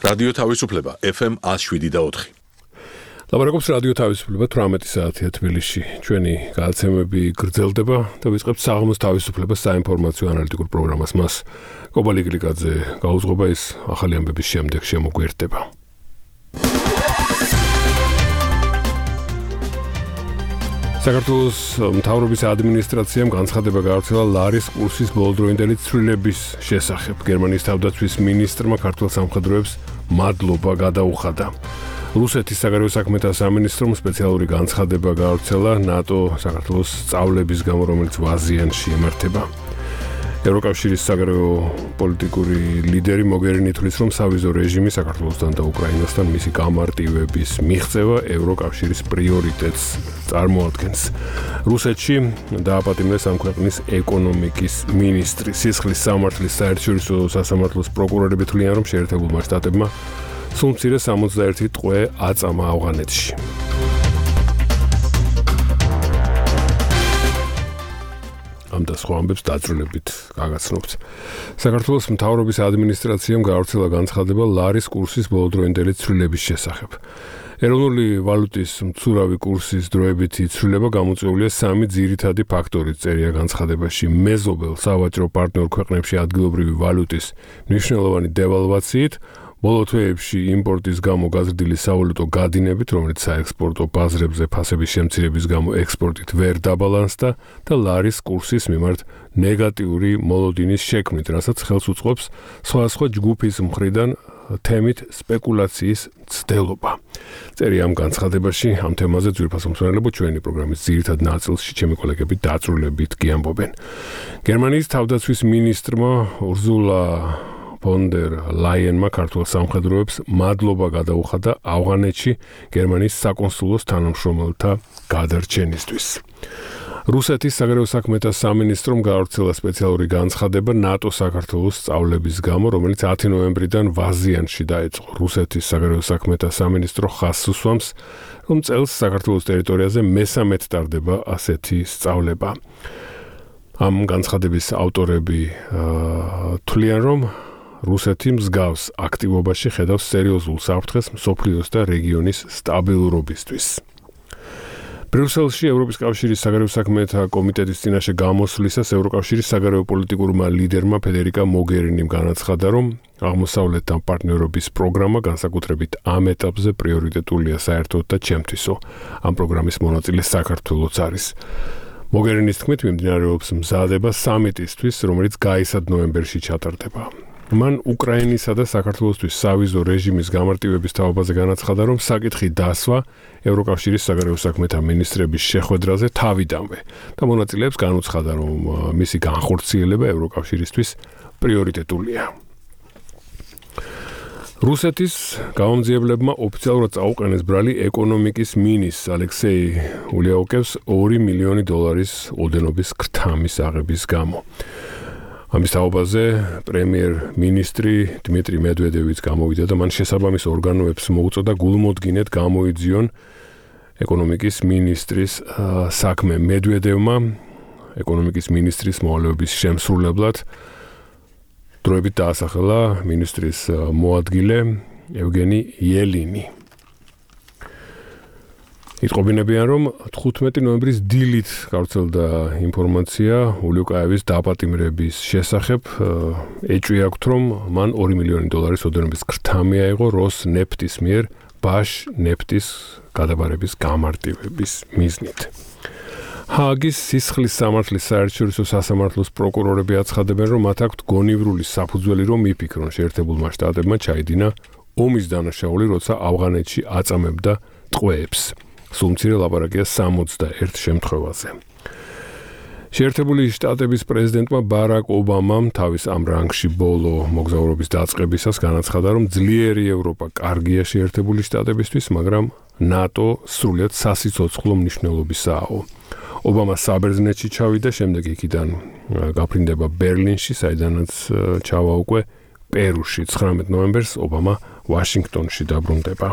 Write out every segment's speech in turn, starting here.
რადიო თავისუფლება FM 107.4. ლაპარაკობს რადიო თავისუფლება 18 საათია თბილისში. ჩვენი გადაცემები გრძელდება და ვიწყებთ საღამოს თავისუფლებას საინფორმაციო ანალიტიკურ პროგრამას. მას კობალი გლიკაძე გაუძღობა, ის ახალი ამბების შემდეგ შემოგვიერთდება. საქართველოს მთავრობის ადმინისტრაციამ განცხადება გაავრცელა ლარის კურსის ბოლოდროინდელი ცვლილების შესახებ. გერმანიის თავდაცვის მინისტრმა ქართულ სამხედროებს მადლობა გადაუხადა. რუსეთის საგარეო საქმეთა სამინისტრომ სპეციალური განცხადება გაავრცელა ნატო საქართველოს სწავლების გამო, რომელიც ვაზიანში იმართება. ევროკავშირის საგარეო პოლიტიკური ლიდერი მოგერინი თვლის, რომ სავიზო რეჟიმი საქართველოსთან და უკრაინასთან მისი გამარტივების მიღწევა ევროკავშირის პრიორიტეტს წარმოადგენს. რუსეთში დააპატიმრეს ამ ქვეყნის ეკონომიკის მინისტრი. სისხლის სამართლის საერთაშორისო სასამართლოს პროკურორები თვლიან, რომ შეერთებულმა შტატებმა სულ მცირე 61 ტყვე აწამა ავღანეთში. ამ და სხვა ამბებს დაწვრილებით გაგაცნობთ. საქართველოს მთავრობის ადმინისტრაციამ გაავრცელა განცხადება ლარის კურსის ბოლოდროინდელი ცვლილების შესახებ. ეროვნული ვალუტის მცურავი კურსის დროებითი ცვლილება გამოწვეულია სამი ძირითადი ფაქტორით, წერია განცხადებაში. მეზობელ სავაჭრო პარტნიორ ქვეყნებში ადგილობრივი ვალუტის მნიშვნელოვანი დევალვაციით, ბოლო თვეებში იმპორტის გამო გაზრდილი სავალუტო გადინებით, რომელიც საექსპორტო ბაზრებზე ფასების შემცირების გამო ექსპორტით ვერ დაბალანსდა და ლარის კურსის მიმართ ნეგატიური მოლოდინის შექმნით, რასაც ხელს უწყობს სხვადასხვა ჯგუფის მხრიდან თემით სპეკულაციის მცდელობა. წერია ამ განცხადებაში, ამ თემაზე ძვირფასო მსმენელებო ჩვენი პროგრამის ძირითად ნაწილში ჩემი კოლეგები დაწვრილებით კი ამბობენ. გერმანიის თავდაცვის მინისტრმა ურზულა ფონ დერ ლაიენმა ქართულ სამხედროებს მადლობა გადაუხადა ავღანეთში გერმანიის საკონსულოს თანამშრომელთა გადარჩენისთვის. რუსეთის საგარეო საქმეთა სამინისტრომ გაავრცელა სპეციალური განცხადება ნატო საქართველოს სწავლების გამო, რომელიც 10 ნოემბრიდან ვაზიანში დაიწყო. რუსეთის საგარეო საქმეთა სამინისტრო ხაზს უსვამს, რომ წელს საქართველოს ტერიტორიაზე მესამედ ტარდება ასეთი სწავლება. ამ განცხადების ავტორები თვლიან, რომ რუსეთი მსგავს აქტივობაში ხედავს სერიოზულ საფრთხეს მსოფლიოს და რეგიონის სტაბილურობისთვის. ბრიუსელში ევროპის კავშირის საგარეო საქმეთა კომიტეტის წინაშე გამოსვლისას ევროკავშირის საგარეო პოლიტიკურმა ლიდერმა ფედერიკა მოგერინიმ განაცხადა, რომ აღმოსავლეთთან პარტნიორობის პროგრამა განსაკუთრებით ამ ეტაპზე პრიორიტეტულია საერთოდ და ჩემთვისო. ამ პროგრამის მონაწილე საქართველოც არის. მოგერინის თქმით, მიმდინარეობს მზადება სამიტისთვის, რომელიც გაისად ნოემბერში ჩატარდება. მან უკრაინისა და საქართველოსთვის სავიზო რეჟიმის გამარტივების თავობაზე განაცხადა, რომ საკითხი დასვა ევროკავშირის საგარეო საქმეთა მინისტრების შეხვედრაზე თავიდანვე და მონაწილეებს განუცხადა, რომ მისი განხორციელება ევროკავშირისთვის პრიორიტეტულია. რუსეთის გამომძიებლებმა ოფიციალურად წაუყენეს ბრალი ეკონომიკის მინისტრს ალექსეი ულიაუკევს $2 მილიონი ოდენობის ქრთამის აღების გამო. ამის თაობაზე პრემიერ-მინისტრი დმიტრი მედვედევიც გამოვიდა და მან შესაბამის ორგანოებს მოუწოდა გულმოდგინედ გამოიძიონ ეკონომიკის მინისტრის საქმე. მედვედევმა ეკონომიკის მინისტრის მოვალეობის შემსრულებლად დროებით დაასახელა მინისტრის მოადგილე ევგენი იელინი. იტყობინებიან, რომ 15 ნოემბრის დილით გავრცელდა ინფორმაცია ულიუკაევის დაპატიმრების შესახებ. ეჭვი აქვთ, რომ მან $2 მილიონი ოდენობის ქრთამი აიღო როსნეფტის მიერ ბაშ ნეფტის გადაბარების გამარტივების მიზნით. ჰააგის სისხლის სამართლის საერთაშორისო სასამართლოს პროკურორები აცხადებენ, რომ მათ აქვთ გონივრული საფუძველი, რომ იფიქრონ შეერთებულმა შტატებმა ჩაიდინა ომის დანაშაული, როცა ავღანეთში აწამებდა ტყვეებს. სულ მცირე ლაპარაკია 61 შემთხვევაზე. შეერთებული შტატების პრეზიდენტმა ბარაკ ობამამ თავის ამ რანგში ბოლო მოგზაურობის დაწყებისას განაცხადა, რომ ძლიერი ევროპა კარგია შეერთებული შტატებისთვის, მაგრამ ნატო სრულიად სასიცოცხლო მნიშვნელობისაა. ობამა საბერძნეთში ჩავიდა, შემდეგ იქიდან გაფრინდება ბერლინში, საიდანაც ჩავა უკვე პერუში. 19 ნოემბერს ობამა ვაშინგტონში დაბრუნდება.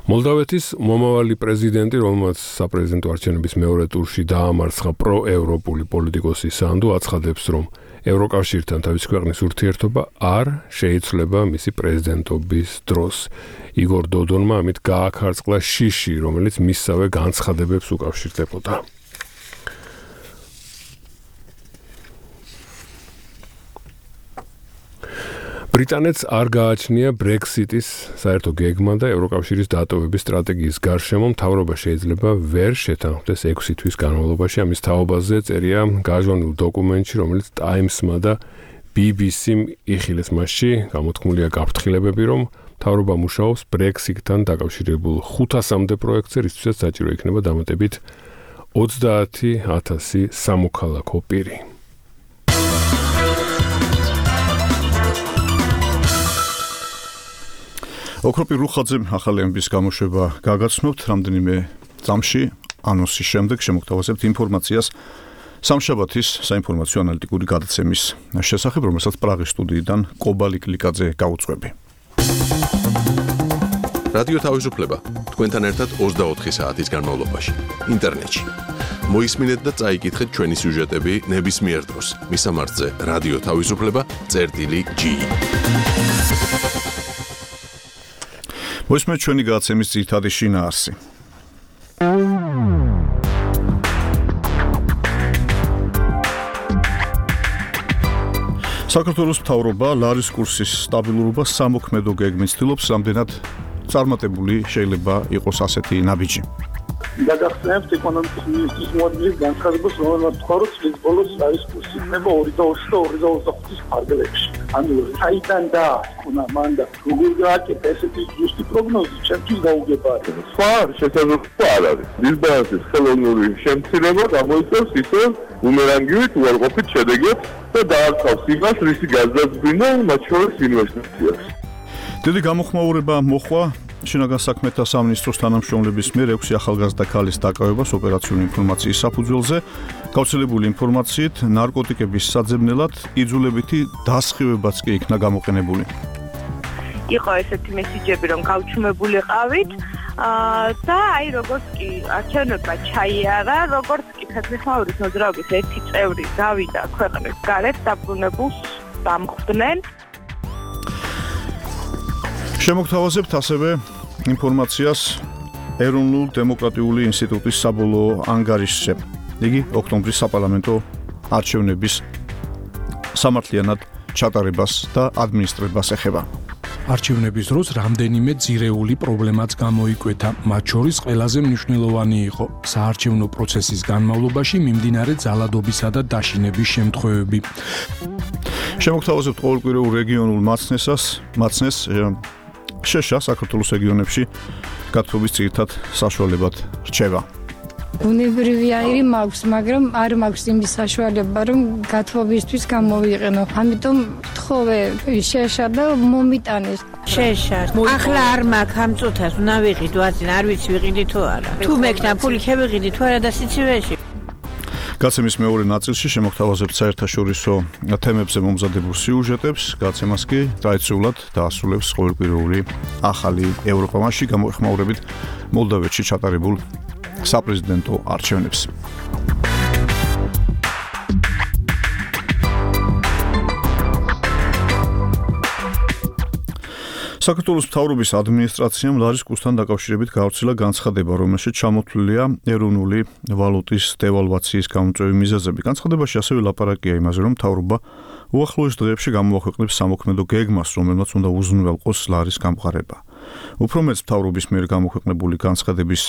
მოლდავეთის მომავალი პრეზიდენტი, რომელმაც საპრეზიდენტო არჩევნების მეორე ტურში დაამარცხა პროევროპული პოლიტიკოსი სანდუ, აცხადებს, რომ ევროკავშირთან თავის ქვეყნის ურთიერთობა არ შეიცვლება მისი პრეზიდენტობის დროს. იგორ დოდონმა ამით გააქარწყლა შიში, რომელიც მისსავე განცხადებებს უკავშირდებოდა. ბრიტანეთს არ გააჩნია ბრექსიტის საერთო გეგმა და ევროკავშირის დატოვების სტრატეგიის გარშემო მთავრობა შეიძლება ვერ შეთანხმდეს 6 თვის განმავლობაში. ამის თაობაზე წერია გაჟონილ დოკუმენტში, რომელიც Times-მა და BBC-მ იხილეს. მასში გამოთქმულია გაფრთხილებები, რომ მთავრობა მუშაობს ბრექსიტთან დაკავშირებულ 500-მდე პროექტზე, რისთვისაც საჭირო იქნება დამატებით 30,000 სამოქალაქო პირი. ოქროპირ რუხაძემ ახალი ამბის გამოშვება გაგაცნობთ რამდენიმე წამში ანონსის შემდეგ შემოგთავაზებთ ინფორმაციას სამშაბათის საინფორმაციო ანალიტიკური გადაცემის შესახებ, რომელსაც პრაღის სტუდიიდან კობალი კლიკაძე გაუძღვები. რადიო თავისუფლება თქვენთან ერთად 24 საათის განმავლობაში ინტერნეტში. მოისმინეთ და წაიკითხეთ ჩვენი სიუჟეტები ნებისმიერ დროს. მისამართზე რადიო თავისუფლება.ge. მოისმენთ ჩვენი გადაცემის ძირითადი შინაარსი. საქართველოს მთავრობა ლარის კურსის სტაბილურობას სამოქმედო გეგმით ცდილობს, რამდენად წარმატებული შეიძლება იყოს ასეთი ნაბიჯი. გადახსენებთ ეკონომიკის მინისტრის მოადგილის განცხადებას, რომელმაც თქვა, რომ წლის ბოლოს ლარის კურსი იქნება 2.20 და 2.25-ის ფარგლებში. ანუ საიდან დაასკვნა მან და როგორ გააკეთა ესეთი ზუსტი პროგნოზი, ჩემთვის გაუგებარია. სხვა შესაძლებლობა არ არის. დისბალანსის ხელოვნური შემცირება გამოიწვევს ისე ბუმერანგივით უარყოფით შედეგებს და დაარწავს იმას, რისი გაზრდილი მათ შორის ინვესტიციას. დიდი გამოხმაურება მოხვა შინაგან საქმეთა სამინისტროს თანამშრომლების მიერ 6 ახალგაზრდა ქალის დაკავებას ოპერაციული ინფორმაციის საფუძველზე. გავრცელებული ინფორმაციით, ნარკოტიკების საძებნელად იძულებითი დასხივებაც კი იქნა გამოყენებული. იყო ესეთი მესიჯები, რომ გავჩუმებულიყავით და აი როგორც კი არჩევნებმა ჩაიარა, როგორც კი ფეხმეხმაურის მოძრაობის ერთი წევრი გავიდა ქვეყნის გარეთ, დაბრუნებულს დამხვდნენ. შემოგთავაზებთ ასევე ინფორმაციას ეროვნულ დემოკრატიული ინსტიტუტის საბოლოო ანგარიშზე. იგი ოქტომბრის საპარლამენტო არჩევნების სამართლიანად ჩატარებას და ადმინისტრებას ეხება. არჩევნების დროს რამდენიმე ძირეული პრობლემაც გამოიკვეთა. მათ შორის ყველაზე მნიშვნელოვანი იყო საარჩევნო პროცესის განმავლობაში მიმდინარე ძალადობისა და დაშინების შემთხვევები. შემოგთავაზებთ ყოველკვირეულ რეგიონულ მაცნეს შეშა საქართველოს რეგიონებში გათხრობის ძირითად საშუალებად რჩება. ბუნებრივი აირი მაქვს, მაგრამ არ მაქვს იმის საშუალება, რომ გათხრობისთვის გამოვიყენო. ამიტომ თხოვე შეშა და მომიტანეს. შეშა. ახლა არ მაქვს ამ წუთას, უნდა ვიყიდო, არ ვიცი ვიყიდი თუ არა. თუ მექნა ფული შევიყიდი თუ არა და სიცივეში. გაცემის მეორე ნაწილში შემოგთავაზებთ საერთაშორისო თემებზე მომზადებულ სიუჟეტებს, გაცემას კი ტრადიციულად დაასრულებს ყოველკვირეული ახალი ევროპა. მასში გამოეხმაურებით მოლდოვეთში ჩატარებულ საპრეზიდენტო არჩევნებს. საქართველოს მთავრობის ადმინისტრაციამ ლარის კურსთან დაკავშირებით გავრცელა განცხადება, რომელშიც ჩამოთვლილია ეროვნული ვალუტის დევალვაციის გამომწვევი მიზეზები. განცხადებაში ასევე ლაპარაკია იმაზე, რომ მთავრობა უახლოეს დღეებში გამოაქვეყნებს სამოქმედო გეგმას, რომელმაც უნდა უზრუნველყოს ლარის გამყარება. უფრო მეც მთავრობის მიერ გამოქვეყნებული განცხადების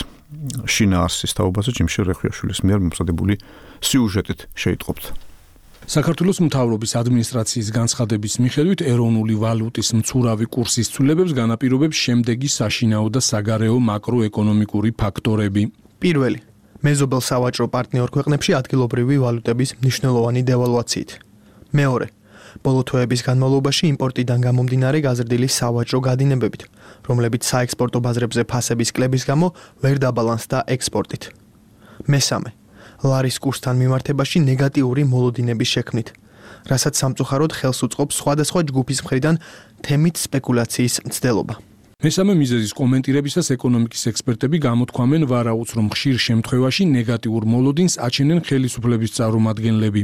შინაარსის თაობაზე ჯიმშე რეხვიაშვილის მიერ მომზადებული სიუჟეტით შეიტყობთ. საქართველოს მთავრობის ადმინისტრაციის განცხადების მიხედვით ეროვნული ვალუტის მცურავი კურსის ცვლილებებს განაპირობებს შემდეგი საშინაო და საგარეო მაკროეკონომიკური ფაქტორები. პირველი, მეზობელ სავაჭრო პარტნიორ ქვეყნებში ადგილობრივი ვალუტების მნიშვნელოვანი დევალვაციით. მეორე, ბოლო თვეების განმავლობაში იმპორტიდან გამომდინარე გაზრდილი სავაჭრო გადინებებით, რომლებიც საექსპორტო ბაზრებზე ფასების კლების გამო ვერ დაბალანსდა ექსპორტით. მესამე, ლარის კურსთან მიმართებაში ნეგატიური მოლოდინების შექმნით, რასაც სამწუხაროდ ხელს უწყობს სხვადასხვა ჯგუფის მხრიდან თემით სპეკულაციის მცდელობა. მესამე მიზეზის კომენტირებისას ეკონომიკის ექსპერტები გამოთქვამენ ვარაუდს, რომ ხშირ შემთხვევაში ნეგატიურ მოლოდინს აჩენენ ხელისუფლების წარმომადგენლები.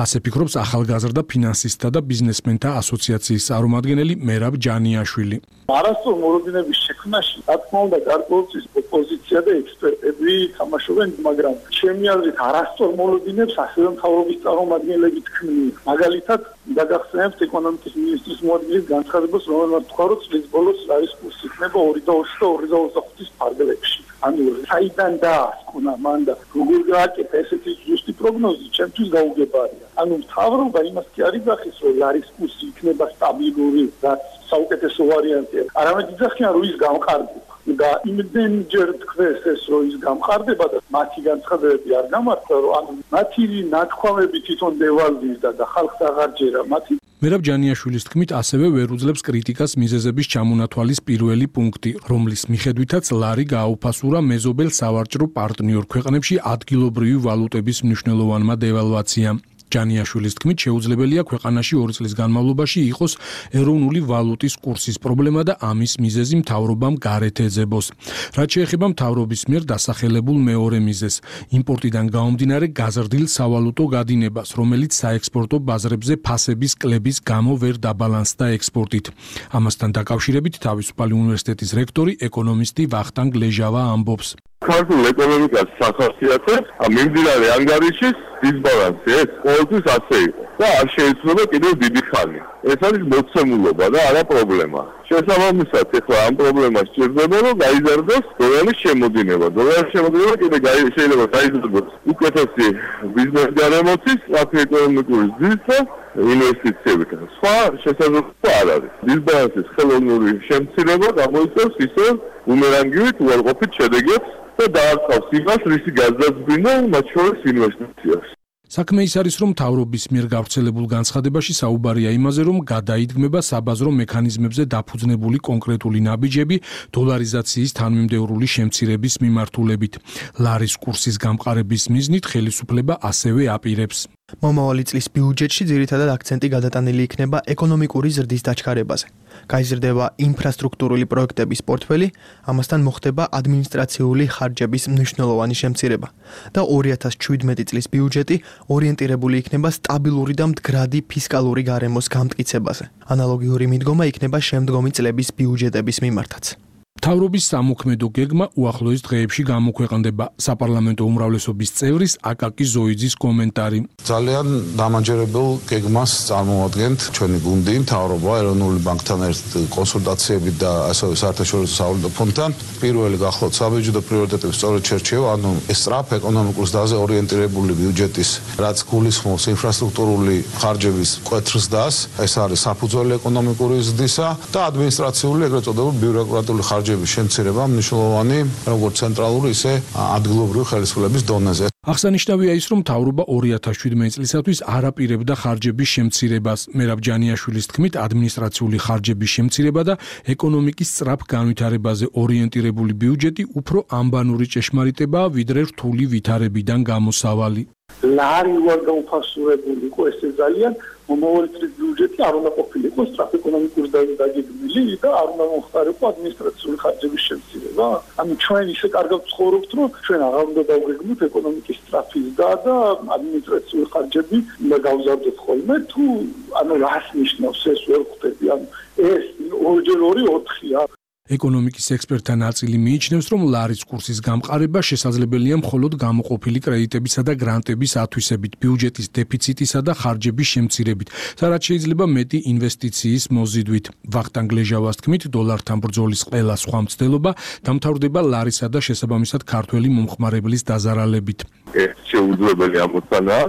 ასე ფიქრობს ახალგაზრდა ფინანსისტთა და ბიზნესმენთა ასოციაციის წარმომადგენელი მერაბ ჯანიაშვილი. არასწორ მოლოდინების შექმნაში, რა თქმა უნდა, გარკვეულწილად ოპოზიცია და ექსპერტები თამაშობენ, მაგრამ ჩემი აზრით არასწორ მოლოდინებს ასევე მთავრობის წარმომადგენლები თქმიან. მაგალითად, დაგახსენებთ ეკონომიკის მინისტრის მოადგილის განცხადებას, რომელმაც თქვა, რომ წლის ბოლოს არის კურსი იქნება 2.20 და 2.25-ის ფარგლებში. ანუ საიდან დაასკვნა მან და როგორ გააკეთა ესეთი ზუსტი პროგნოზი, ჩემთვის გაუგებარია. ანუ მთავრობა იმას კი არ იძახის, რომ ლარის კურსი იქნება სტაბილური, რაც საუკეთესო ვარიანტია. არამედ იძახიან, რომ ის გამყარდება. და იმდენჯერ თქვეს ეს, რომ ის გამყარდება და მათი განცხადებები არ გამართლა, რომ ანუ მათი ნათქვამები თვითონ დევალვირდა და ხალხს აღარ ჯერა მათი. მერაბ ჯანიაშვილის თქმით, ასევე ვერ უძლებს კრიტიკას მიზეზების ჩამონათვალის პირველი პუნქტი, რომლის მიხედვითაც ლარი გააუფასურა მეზობელ სავაჭრო პარტნიორ ქვეყნებში ადგილობრივი ვალუტების მნიშვნელოვანმა დევალვაციამ. ჯანიაშვილის თქმით, შეუძლებელია ქვეყანაში 2 წლის განმავლობაში იყოს ეროვნული ვალუტის კურსის პრობლემა და ამის მიზეზი მთავრობამ გარეთ ეძებოს. რაც შეეხება მთავრობის მიერ დასახელებულ მეორე მიზეზს, იმპორტიდან გამომდინარე გაზრდილ სავალუტო გადინებას, რომელიც საექსპორტო ბაზრებზე ფასების კლების გამო ვერ დაბალანსდა ექსპორტით. ამასთან დაკავშირებით თავისუფალი უნივერსიტეტის რექტორი ეკონომისტი ვახტანგ ლეჟავა ამბობს. ქართულ ეკონომიკას სახასიათებს მიმდინარე ანგარიშის დისბალანსი ეს ყოველთვის ასე იყო და არ შეიძლება კიდევ დიდი ხანი. ეს არის მოცემულობა და არა პრობლემა. შესაბამისად, ეხლა ამ პრობლემას სჭირდება, რომ გაიზარდოს დოლარის შემოდინება. დოლარის შემოდინება კიდევ შეიძლება გაიზარდოს უკეთესი ბიზნეს გარემოთის, ეკონომიკური ზრდის და ინვესტიციებიდან. სხვა შესაძლებლობა არ არის. დისბალანსის ხელოვნური შემცირება გამოიწვევს ისე ბუმერანგივით უარყოფით შედეგებს და დაარწავს იმას, რისი გაზრდილი მათ შორის ინვესტიციას. საქმე ის არის, რომ მთავრობის მიერ გავრცელებულ განცხადებაში საუბარია იმაზე, რომ გადაიდგმება საბაზრო მექანიზმებზე დაფუძნებული კონკრეტული ნაბიჯები დოლარიზაციის თანმიმდევრული შემცირების მიმართულებით. ლარის კურსის გამყარების მიზნით ხელისუფლება ასევე აპირებს. მომავალი წლის ბიუჯეტში ძირითადად აქცენტი გადატანილი იქნება ეკონომიკური ზრდის დაჩქარებაზე. გაიზრდება ინფრასტრუქტურული პროექტების პორტფელი, ამასთან მოხდება ადმინისტრაციული ხარჯების მნიშვნელოვანი შემცირება და 2017 წლის ბიუჯეტი ორიენტირებული იქნება სტაბილური და მდგრადი ფისკალური გარემოს გამტკიცებაზე. ანალოგიური მიდგომა იქნება შემდგომი წლების ბიუჯეტების მიმართაც. მთავრობის სამოქმედო გეგმა უახლოეს დღეებში გამოქვეყნდება. საპარლამენტო უმრავლესობის წევრის აკაკი ზოიძის კომენტარი. ძალიან დამაჯერებელ გეგმას წარმოადგენთ ჩვენი გუნდი, მთავრობა, ეროვნული ბანკთან ერთ კონსულტაციებით და ასევე საერთაშორისო სავალუტო ფონდთან. პირველი გახლავთ საბიუჯეტო პრიორიტეტების სწორედ შერჩევა, ანუ სწრაფ ეკონომიკურ ზრდაზე ორიენტირებული ბიუჯეტის, რაც გულისხმობს ინფრასტრუქტურული ხარჯების მკვეთრ ზრდას, ეს არის საფუძველი ეკონომიკური ზრდისა და ადმინისტრაციული ეგრეთ წოდებული ბიუროკრატიული ხარჯების შემცირება მნიშვნელოვანი როგორც ცენტრალური, ისე ადგილობრივი ხელისუფლების დონეზე. აღსანიშნავია ის, რომ მთავრობა 2017 წლისათვის არ აპირებდა ხარჯების შემცირებას. მერაბ ჯანიაშვილის თქმით, ადმინისტრაციული ხარჯების შემცირება და ეკონომიკის სწრაფ განვითარებაზე ორიენტირებული ბიუჯეტი უფრო ამბანური ჭეშმარიტებაა, ვიდრე რთული ვითარებიდან გამოსავალი. ლარი უარ გაუფასურებული იყო ესე ძალიან მომავალი წლის ბიუჯეტი არ უნდა ყოფილიყო სწრაფ ეკონომიკურ დაგეგმილი და არ უნდა მოხდარიყო ადმინისტრაციული ხარჯების შემცირება. ანუ ჩვენ ისე კარგად ვცხოვრობთ, რომ ჩვენ აღარ უნდა დავგეგმოთ ეკონომიკის სწრაფი ზრდა და ადმინისტრაციული ხარჯები უნდა გავზარდოთ ხოლმე. თუ ანუ რას ნიშნავს ეს ვერ ხვდები. ანუ ეს 2x2 4-ია. ეკონომიკის ექსპერტთა ნაწილი მიიჩნევს, რომ ლარის კურსის გამყარება შესაძლებელია მხოლოდ გამოყოფილი კრედიტებისა და გრანტების ათვისებით, ბიუჯეტის დეფიციტისა და ხარჯების შემცირებით, სადაც შეიძლება მეტი ინვესტიციის მოზიდვით. ვახტანგ ლეჟავას თქმით, დოლართან ბრძოლის ყველა სხვა მცდელობა დამთავრდება ლარისა და შესაბამისად ქართველი მომხმარებლის დაზარალებით. ეს შეუძლებელი ამოცანაა,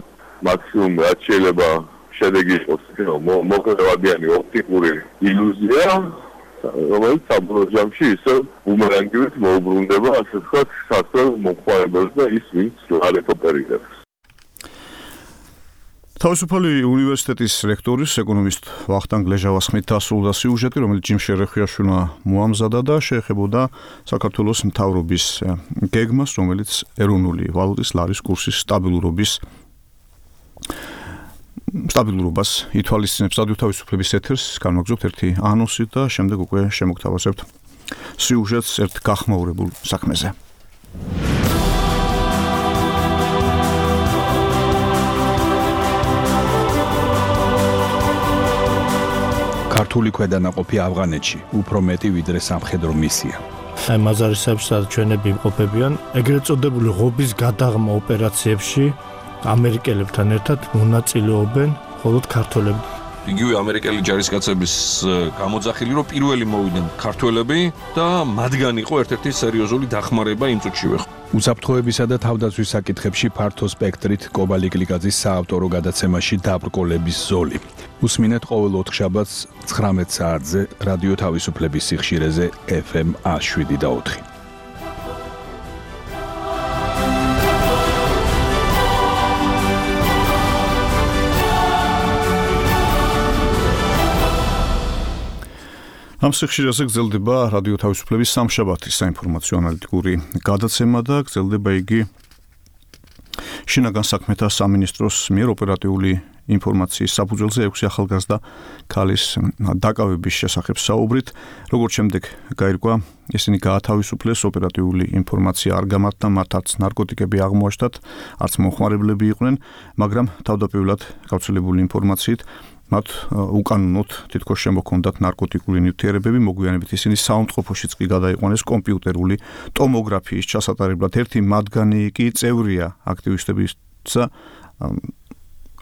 მაქსიმუმ რაც შეიძლება შედეგი იყოს, მოკლევადიანი ოპტიკური ილუზია. რომელიც საბოლოო ჯამში ისე ბუმერანგივით მოუბრუნდება, ასე ვთქვათ, საქართველოს მომხმარებელს და ის, ვინც ლარით ოპერირებს. თავისუფალი უნივერსიტეტის რექტორის ეკონომისტ ვახტანგ ლეჟავას ხმით დასრულდა სიუჟეტი, რომელიც ჯიმ შერეხიაშვილმა მოამზადა და შეეხებოდა საქართველოს მთავრობის გეგმას, რომელიც ეროვნული ვალუტის ლარის კურსის სტაბილურობას ითვალისწინებს. რადიო თავისუფლების ეთერს განვაგრძობთ ერთი ანონსით და შემდეგ უკვე შემოგთავაზებთ სიუჟეტს ერთ გახმაურებულ საქმეზე. ქართული ქვედანაყოფი ავღანეთში უფრო მეტი ვიდრე სამხედრო მისია. აი მაზარისებში სადაც ჩვენები იმყოფებიან, ეგრეთ წოდებული ღობის გადაღმა ოპერაციებში ამერიკელებთან ერთად მონაწილეობენ მხოლოდ ქართველები. იგივე ამერიკელი ჯარისკაცების გამოძახილი რომ პირველი მოვიდნენ ქართველები და მათგან იყო ერთ-ერთი სერიოზული დახმარება იმ წუთშივე. უსაფრთხოებისა და თავდაცვის საკითხებში ფართო სპექტრით კობალი კლიკაძის საავტორო გადაცემაში დაბრკოლების ზოლი. უსმინეთ ყოველ ოთხშაბათს 19 საათზე რადიო თავისუფლების სიხშირეზე FM 107.4. ამ სიხშირეზე გრძელდება რადიო თავისუფლების სამშაბათის საინფორმაციო ანალიტიკური გადაცემა და გრძელდება იგი შინაგან საქმეთა სამინისტროს მიერ ოპერატიული ინფორმაციის საფუძველზე 6 ახალგაზრდა ქალის დაკავების შესახებ საუბრით, როგორც შემდეგ გაირკვა, ისინი გაათავისუფლეს, ოპერატიული ინფორმაცია არ გამართა, მათ არც ნარკოტიკები აღმოაჩნდათ, არც მომხმარებლები იყვნენ, მაგრამ თავდაპირველად გავრცელებული ინფორმაციით მათ უკანონოდ თითქოს შემოქონდათ ნარკოტიკული ნივთიერებები, მოგვიანებით ისინი საუნდყოფოშიც კი გადაიყვანეს კომპიუტერული ტომოგრაფიის ჩასატარებლად. ერთი მათგანი კი წევრია აქტივისტებისა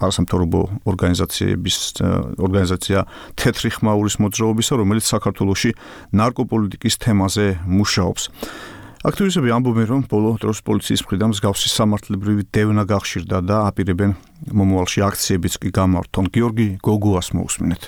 არასამთავრობო ორგანიზაცია თეთრი ხმაურის მოძრაობისა, რომელიც საქართველოში ნარკოპოლიტიკის თემაზე მუშაობს. აქტივისტები ამბობენ, რომ ბოლო დროს პოლიციის მხრიდან მსგავსი სამართლებრივი დევნა გახშირდა და აპირებენ მომავალში აქციებიც კი გამართონ. გიორგი გოგუას მოусმინეთ.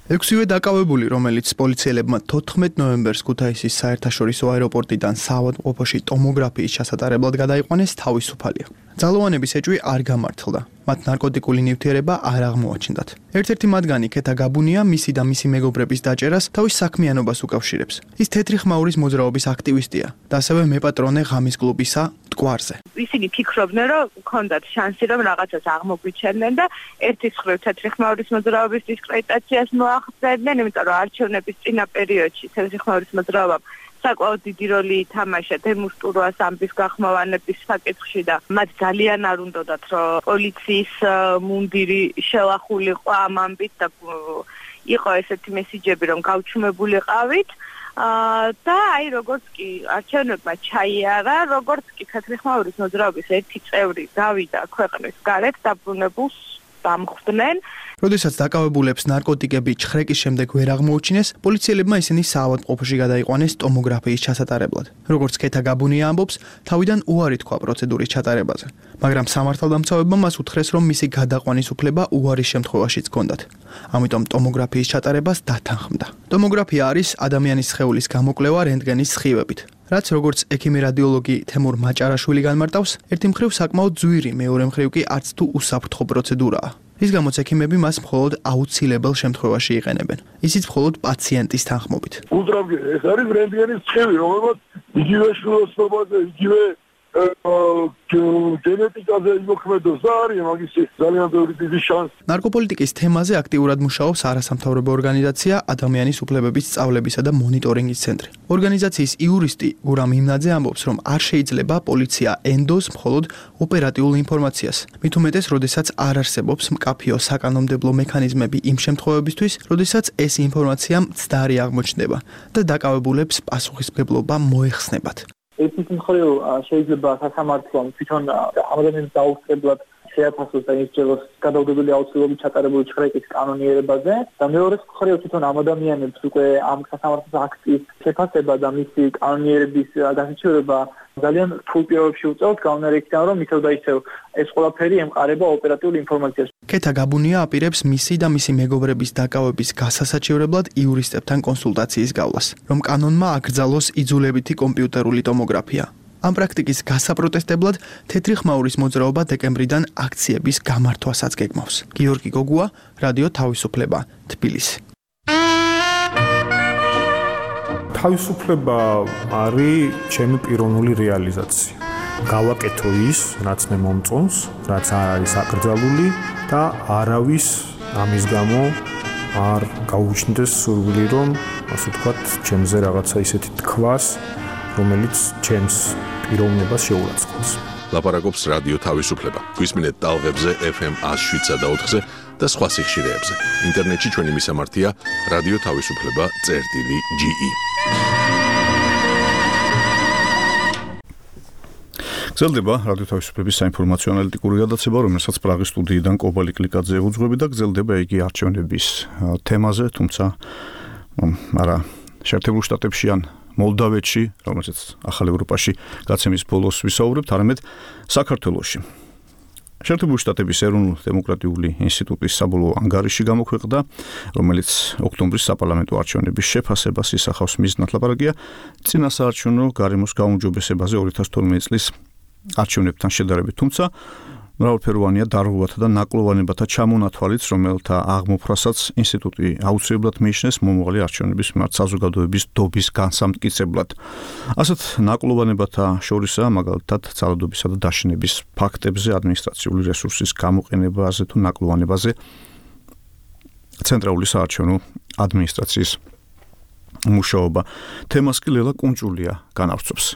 6-ვე დაკავებული, რომელიც პოლიციელებმა 14 ნოემბერს ქუთაისის საერთაშორისო აეროპორტიდან საავადმყოფოში ტომოგრაფიის ჩასატარებლად გადაიყვანეს, თავისუფალია. ძალოვანების ეჭვი არ გამართლდა. მათ ნარკოტიკული ნივთიერება არ აღმოაჩნდათ. ერთ-ერთი მათგანი ქეთა გაბუნია მისი და მისი მეგობრების დაჭერას თავის საქმიანობას უკავშირებს. ის თეთრი ხმაურის მოძრაობის აქტივისტია და ასევე მეპატრონე ღამის კლუბისა მტკვარზე. ისინი ფიქრობდნენ, რომ ქონდათ შანსი, რომ რაღაცას აღმოგვიჩენდნენ და ერთის მხრივ თეთრი ხმაურის მოძრაობის დისკრედიტაციას მოახდენდნენ, იმიტომ რომ არჩევნების წინა პერიოდში თეთრი ხმაურის მოძრაობამ საკმაოდ დიდი როლი ითამაშა დემუსტურვას ამბის გახმოვანების საკითხში და მათ ძალიან არ უნდათ, რომ პოლიციის მუნდირი შელახულიყო ამ ამბით და იყო ესეთი მესიჯები, რომ გავჩუმებულიყავით. და აი როგორც კი არჩევნებმა ჩაიარა, როგორც კი თეთრი ხმაურის მოძრაობის ერთი წევრი გავიდა ქვეყნის გარეთ დაბრუნებულს დამხვდნენ. როდესაც დაკავებულებს ნარკოტიკები ჩხრეკის შემდეგ ვერ აღმოუჩინეს, პოლიციელებმა ისინი საავადმყოფოში გადაიყვანეს ტომოგრაფიის ჩასატარებლად. როგორც ქეთა გაბუნია ამბობს, თავიდან უარი თქვა პროცედურის ჩატარებაზე, მაგრამ სამართალდამცავებმა მას უთხრეს, რომ მისი გადაყვანის უფლება უარის შემთხვევაშიც ჰქონდათ. ამიტომ ტომოგრაფიის ჩატარებას დათანხმდა. ტომოგრაფია არის ადამიანის სხეულის გამოკვლევა რენტგენის სხივებით. რაც როგორც ექიმი რადიოლოგი თემურ მაჭარაშვილი განმარტავს, ერთი მხრივ საკმაოდ ძვირი, მეორე მხრივ კი არც თუ უსაფრთხო პროცედურაა. რის გამოც ექიმები მას მხოლოდ აუცილებელ შემთხვევაში იყენებენ. ისიც მხოლოდ პაციენტის თანხმობით. უძრავი ეს არის რენტგენის სხივი, რომელსაც იგივე შვილოსნობაზე, იგივე გენეტიკაზე იმოქმედოს და არის მაგისი ძალიან დიდი შანსი. ნარკოპოლიტიკის თემაზე აქტიურად მუშაობს არასამთავრობო ორგანიზაცია ადამიანის უფლებების სწავლებისა და მონიტორინგის ცენტრი. ორგანიზაციის იურისტი გურამ იმნაძე ამბობს, რომ არ შეიძლება პოლიცია ენდოს მხოლოდ ოპერატიულ ინფორმაციას. მით უმეტეს, როდესაც არ არსებობს მკაფიო საკანონმდებლო მექანიზმები იმ შემთხვევებისთვის, როდესაც ეს ინფორმაცია მცდარი აღმოჩნდება და დაკავებულებს პასუხისმგებლობა მოეხსნებათ. ერთის მხრივ შეიძლება სასამართლომ თვითონ ადამიანის დაუსწრებლად შეაფასოს და ისწავლოს გადაუდებელი აუცილებლობის ჩატარებული ჩხრეკის კანონიერებაზე და მეორე მხრივ თვითონ ამ ადამიანებს უკვე ამ სასამართლოს აქტის შეფასება და მისი კანონიერების გასაჩივრება ძალიან რთულ პირობებში უწევს გაუნარეკიდან, რომ ისევ და ისევ ეს ყველაფერი ემყარება ოპერატიულ ინფორმაციას. ქეთა გაბუნია აპირებს მისი და მისი მეგობრების დაკავების გასასაჩივრებლად იურისტებთან კონსულტაციის გავლას, რომ კანონმა აკრძალოს იძულებითი კომპიუტერული ტომოგრაფია. ამ პრაქტიკის გასაპროტესტებლად თეთრი ხმაურის მოძრაობა დეკემბრიდან აქციების გამართვასაც გეგმავს. გიორგი გოგუა, რადიო თავისუფლება, თბილისი. თავისუფლება არის ჩემი პიროვნული რეალიზაცია. გავაკეთო ის, რაც მე მომწონს, რაც არ არის აკრძალული და არავის ამის გამო არ გაუჩნდეს სურვილი, რომ ასე ვთქვათ, ჩემზე რაღაცა ისეთი თქვას, რომელიც ჩემს პიროვნებას შეურაცხყოფს. ლაპარაკობს რადიო თავისუფლება. გვისმინეთ ტალღებზე FM 107 და 4-ზე და სხვა სიხშირეებზე. ინტერნეტში ჩვენი მისამართია რადიო თავისუფლება.ge. გრძელდება რადიო თავისუფლების საინფორმაციო ანალიტიკური გადაცემა, რომელსაც პრაღის სტუდიიდან კობალი კლიკაძე უძღვები და გრძელდება იგი არჩევნების თემაზე, თუმცა არა შეერთებულ შტატებში ან მოლდავეთში, რომელზეც ახალ ევროპაში გაცემის ბოლოს ვისაუბრებთ, არამედ საქართველოში. შეერთებული შტატების ეროვნულ-დემოკრატიული ინსტიტუტის საბოლოო ანგარიში გამოქვეყნდა, რომელიც ოქტომბრის საპარლამენტო არჩევნების შეფასებას ისახავს. მიზნად ლაპარაკია წინასაარჩევნო გარემოს გაუმჯობესებაზე 2012 წლის არჩევნებთან შედარებით, თუმცა მრავალფეროვანია დარღვევათა და ნაკლოვანებათა ჩამონათვალიც, რომელთა აღმოფხვრასაც ინსტიტუტი აუცილებლად მიიჩნევს მომავალი არჩევნების მიმართ საზოგადოების დობის განსამტკიცებლად. ასეთ ნაკლოვანებათა შორისაა მაგალითად ძალადობისა და დაშინების ფაქტებზე, ადმინისტრაციული რესურსის გამოყენებაზე თუ ნაკლოვანებაზე ცენტრალური საარჩევნო ადმინისტრაციის მუშაობა. თემას კი ლელა კუნჭულია განავრცობს.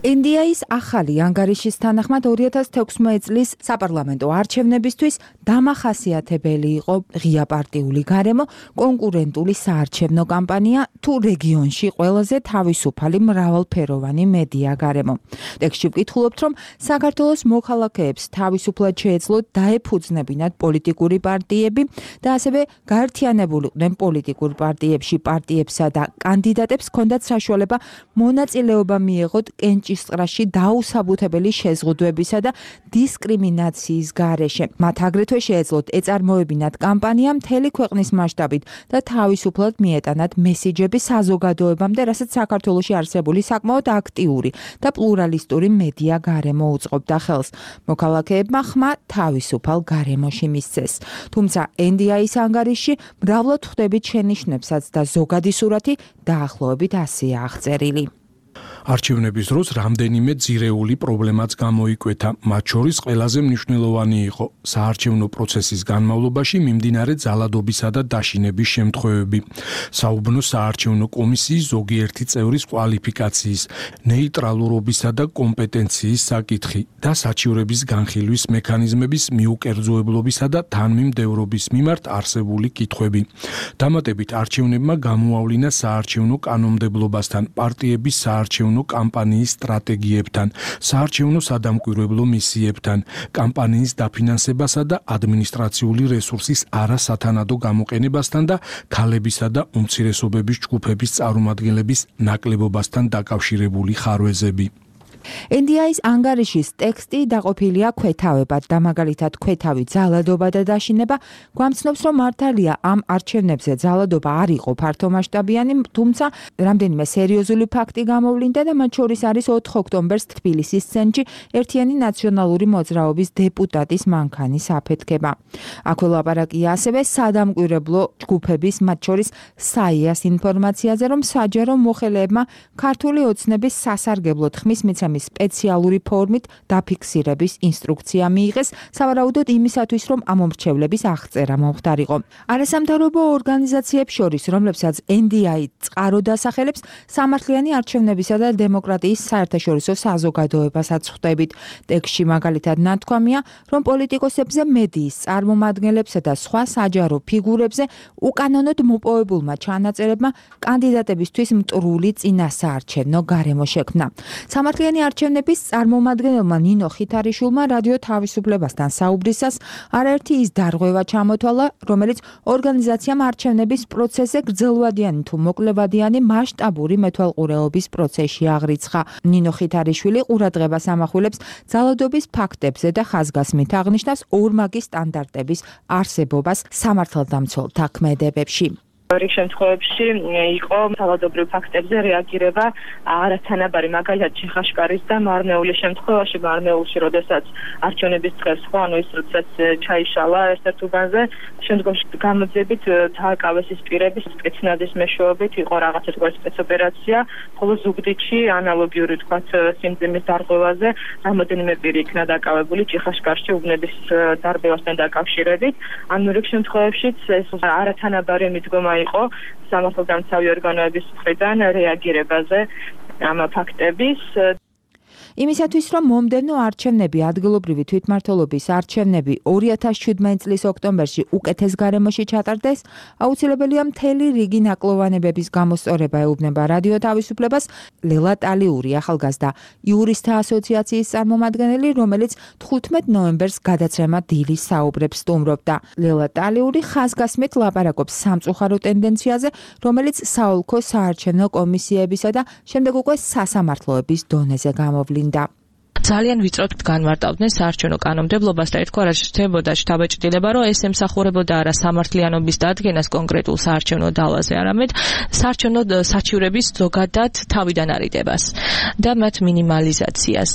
ინდიის ახალი ანგარიშის თანახმად 2016 წლის საპარლამენტო არჩევნებისთვის დამახასიათებელი იყო ღია პარტიული გარემო, კონკურენტული საარჩევნო კამპანია თუ რეგიონში ყველაზე თავისუფალი მრავალფეროვანი მედია გარემო. ტექსტში ვკითხულობთ, რომ საქართველოს მოქალაქეებს თავისუფლად შეეძლოთ დაეფუძნებინათ პოლიტიკური პარტიები და ასევე გაერთიანებულიყვნენ პოლიტიკურ პარტიებში პარტიებსა და კანდიდატებს ჰქონდათ საშუალება მონაწილეობა მიეღოთ კენჭისყრაში დაუსაბუთებელი შეზღუდვებისა და დისკრიმინაციის გარეშე. მათ აგრეთვე შეეძლოთ ეწარმოებინათ კამპანია მთელი ქვეყნის მასშტაბით და თავისუფლად მიეტანათ მესიჯები საზოგადოებამდე, რასაც საქართველოში არსებული საკმაოდ აქტიური და პლურალისტური მედია გარემო უწყობდა ხელს. მოქალაქეებმა ხმა თავისუფალ გარემოში მისცეს. თუმცა NDI-ის ანგარიში მრავლად ხვდებით შენიშვნებსაც და ზოგადი სურათი დაახლოებით ასეა აღწერილი. არჩევნების დროს რამდენიმე ძირეული პრობლემაც გამოიკვეთა. მათ შორის ყველაზე მნიშვნელოვანი იყო საარჩევნო პროცესის განმავლობაში მიმდინარე ძალადობისა და დაშინების შემთხვევები, საუბნო საარჩევნო კომისიის ზოგიერთი წევრის კვალიფიკაციის, ნეიტრალურობისა და კომპეტენციის საკითხი და საჩივრების განხილვის მექანიზმების მიუკერძოებლობისა და თანმიმდევრობის მიმართ არსებული კითხვები. დამატებით არჩევნებმა გამოავლინა საარჩევნო კანონმდებლობასთან, პარტიების საარჩევნო კამპანიის სტრატეგიებთან, საარჩევნო სადამკვირვებლო მისიებთან, კამპანიის დაფინანსებასა და ადმინისტრაციული რესურსის არასათანადო გამოყენებასთან და ქალებისა და უმცირესობების ჯგუფების წარმომადგენლების ნაკლებობასთან დაკავშირებული ხარვეზები. NDI-ის ანგარიშის ტექსტი დაყოფილია ქვეთავებად და მაგალითად ქვეთავი ძალადობა და დაშინება გვამცნობს, რომ მართალია ამ არჩევნებზე ძალადობა არ იყო ფართომასშტაბიანი, თუმცა რამდენიმე სერიოზული ფაქტი გამოვლინდა და მათ შორის არის 4 ოქტომბერს თბილისის ცენტრში ერთიანი ნაციონალური მოძრაობის დეპუტატის მანქანის აფეთქება. აქვე ლაპარაკია ასევე სადამკვირვებლო ჯგუფების, მათ შორის SAIA-ს ინფორმაციაზე, რომ საჯარო მოხელეებმა ქართული ოცნების სასარგებლო ხმის მიცემის სპეციალური ფორმით დაფიქსირების ინსტრუქცია მიიღეს, სავარაუდოდ იმისათვის, რომ ამომრჩევლების აღწერა მომხდარიყო. არასამთავრობო ორგანიზაციებს შორის, რომლებსაც NDI წყარო დასახელებს, სამართლიანი არჩევნებისა და დემოკრატიის საერთაშორისო საზოგადოებასაც ხვდებით. ტექსტში მაგალითად ნათქვამია, რომ პოლიტიკოსებზე, მედიის წარმომადგენლებსა და სხვა საჯარო ფიგურებზე უკანონოდ მოპოვებულმა ჩანაწერებმა კანდიდატებისთვის მტრული წინასაარჩევნო გარემო შექმნა. სამართლიანი არჩევნების წარმომადგენელმა ნინო ხითარიშვილმა რადიო თავისუფლებასთან საუბრისას არაერთი ის დარღვევა ჩამოთვალა, რომელიც ორგანიზაციამ არჩევნების პროცესზე გრძელვადიანი თუ მოკლევადიანი მასშტაბური მეთვალყურეობის პროცესში აღრიცხა. ნინო ხითარიშვილი ყურადღებას ამახვილებს ძალადობის ფაქტებზე და ხაზგასმით აღნიშნავს ორმაგი სტანდარტების არსებობას სამართალდამცველთა ქმედებებში. რიგ შემთხვევებში იყო ძალადობრივ ფაქტებზე რეაგირება არათანაბარი, მაგალითად ჩიხაშკარის და მარნეულის შემთხვევაში, მარნეულში, როდესაც არჩევნების დღეს ხო, ანუ ის როდესაც ჩაიშალა ერთ-ერთ უბანზე, შემდგომში გამოძებით დააკავეს ის პირების სპეცნაზის მეშვეობით, იყო რაღაცა თქვა სპეცოპერაცია, ხოლო ზუგდიდში ანალოგიური თქვა სიმძიმის დარღვევაზე რამოდენიმე პირი იქნა დაკავებული ჩიხაშკარში უბნების დარბევასთან დაკავშირებით. ანუ რიგ შემთხვევებშიც ეს არათანაბარი მიდგომა იყო სამართალდამცავი ორგანოების მხრიდან რეაგირებაზე ამ ფაქტების. იმისათვის, რომ მომდევნო არჩევნები, ადგილობრივი თვითმმართველობის არჩევნები 2017 წლის ოქტომბერში უკეთეს გარემოში ჩატარდეს, აუცილებელია მთელი რიგი ნაკლოვანებების გამოსწორება ეუბნება რადიო თავისუფლებას ლელა ტალიური, ახალგაზრდა იურისტთა ასოციაციის წარმომადგენელი, რომელიც 15 ნოემბერს გადაცემა დილის საუბრებს სტუმრობდა. ლელა ტალიური ხაზგასმით ლაპარაკობს სამწუხარო ტენდენციაზე, რომელიც საოლქო საარჩევნო კომისიებისა და შემდეგ უკვე სასამართლოების დონეზე გამოვლინდა. ძალიან ვიწროდ განმარტავდნენ საარჩევნო კანონმდებლობას და ეთქვა, რა შეჩნდებოდა შთაბეჭდილება, რომ ეს ემსახურებოდა არა სამართლიანობის დადგენას კონკრეტულ საარჩევნო დალაზე, არამედ საარჩევნო საჩივრების ზოგადად თავიდან არიდებას და მათ მინიმალიზაციას.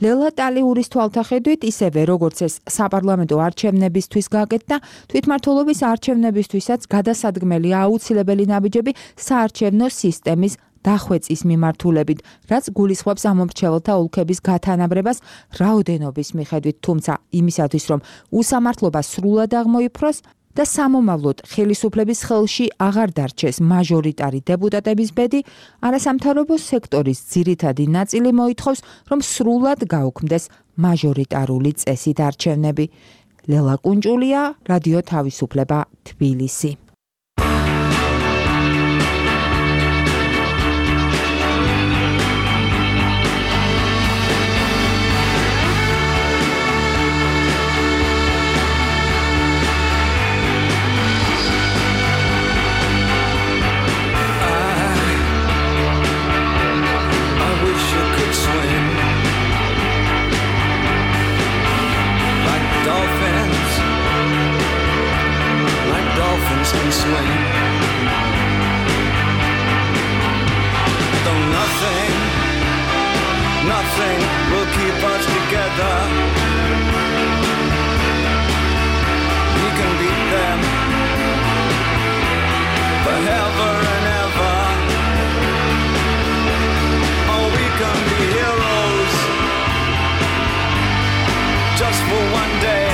ლელა ტალიურის თვალთახედვით, ისევე როგორც ეს საპარლამენტო არჩევნებისთვის გაკეთდა, თვითმმართველობის არჩევნებისთვისაც გადასადგმელია აუცილებელი ნაბიჯები საარჩევნო სისტემის დახვეწის მიმართულებით, რაც გულისხმობს ამომრჩეველთა ოლქების გათანაბრებას რაოდენობის მიხედვით, თუმცა იმისათვის, რომ უსამართლობა სრულად აღმოიფროს და სამომავლოდ ხელისუფლების ხელში აღარ დარჩეს მაჟორიტარი დეპუტატების ბედი, არასამთავრობო სექტორის ძირითადი ნაწილი მოითხოვს, რომ სრულად გაუქმდეს მაჟორიტარული წესით არჩევნები. ლელა კუნჭულია, რადიო თავისუფლება, თბილისი. Can swing, though nothing will keep us together. We can beat them forever and ever. Oh, we can be heroes just for one day.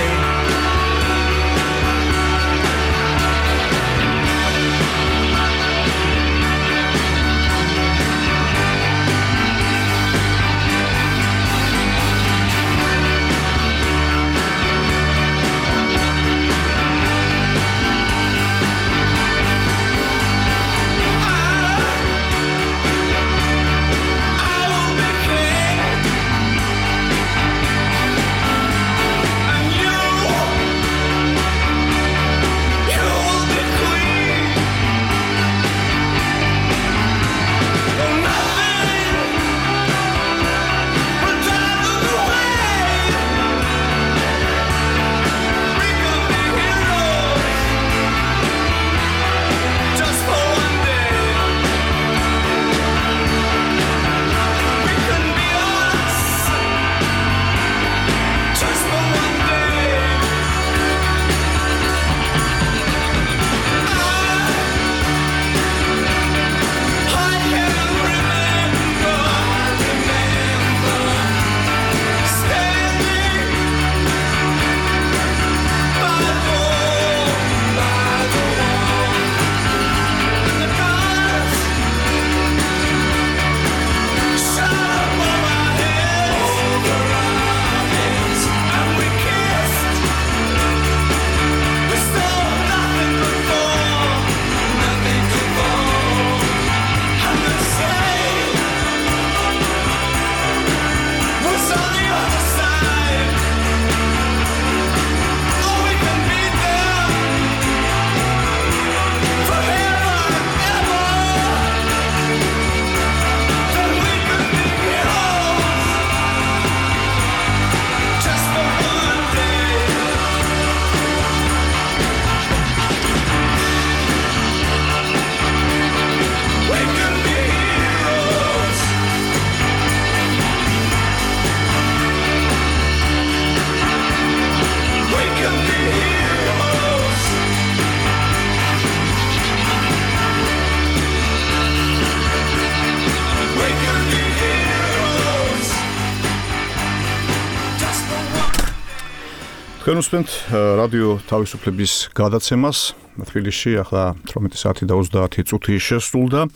თქვენ უსმენთ რადიო თავისუფლების გადაცემას. თბილისში ახლა 18 საათი და 30 წუთი შესრულდა.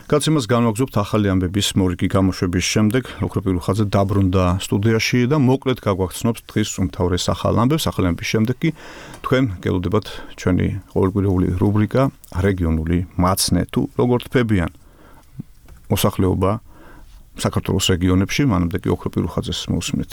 გაცემას განვაგრძობთ ახალი ამბების მორიგი გამოშვების შემდეგ. ოქრო პირუხაძე დაბრუნდა სტუდიაში და მოკლედ გაგვახსნობს დღის უმთავრეს ახალ ამბებს. ახალი ამბების შემდეგ კი თქვენ გელოდებათ ჩვენი ყოველკვირეული რუბრიკა რეგიონული მაცნე თუ როგორ თფებიან მოსახლეობა საქართველოს რეგიონებში. მანამდე კი ოქრო პირუხაძეს მოусმინეთ.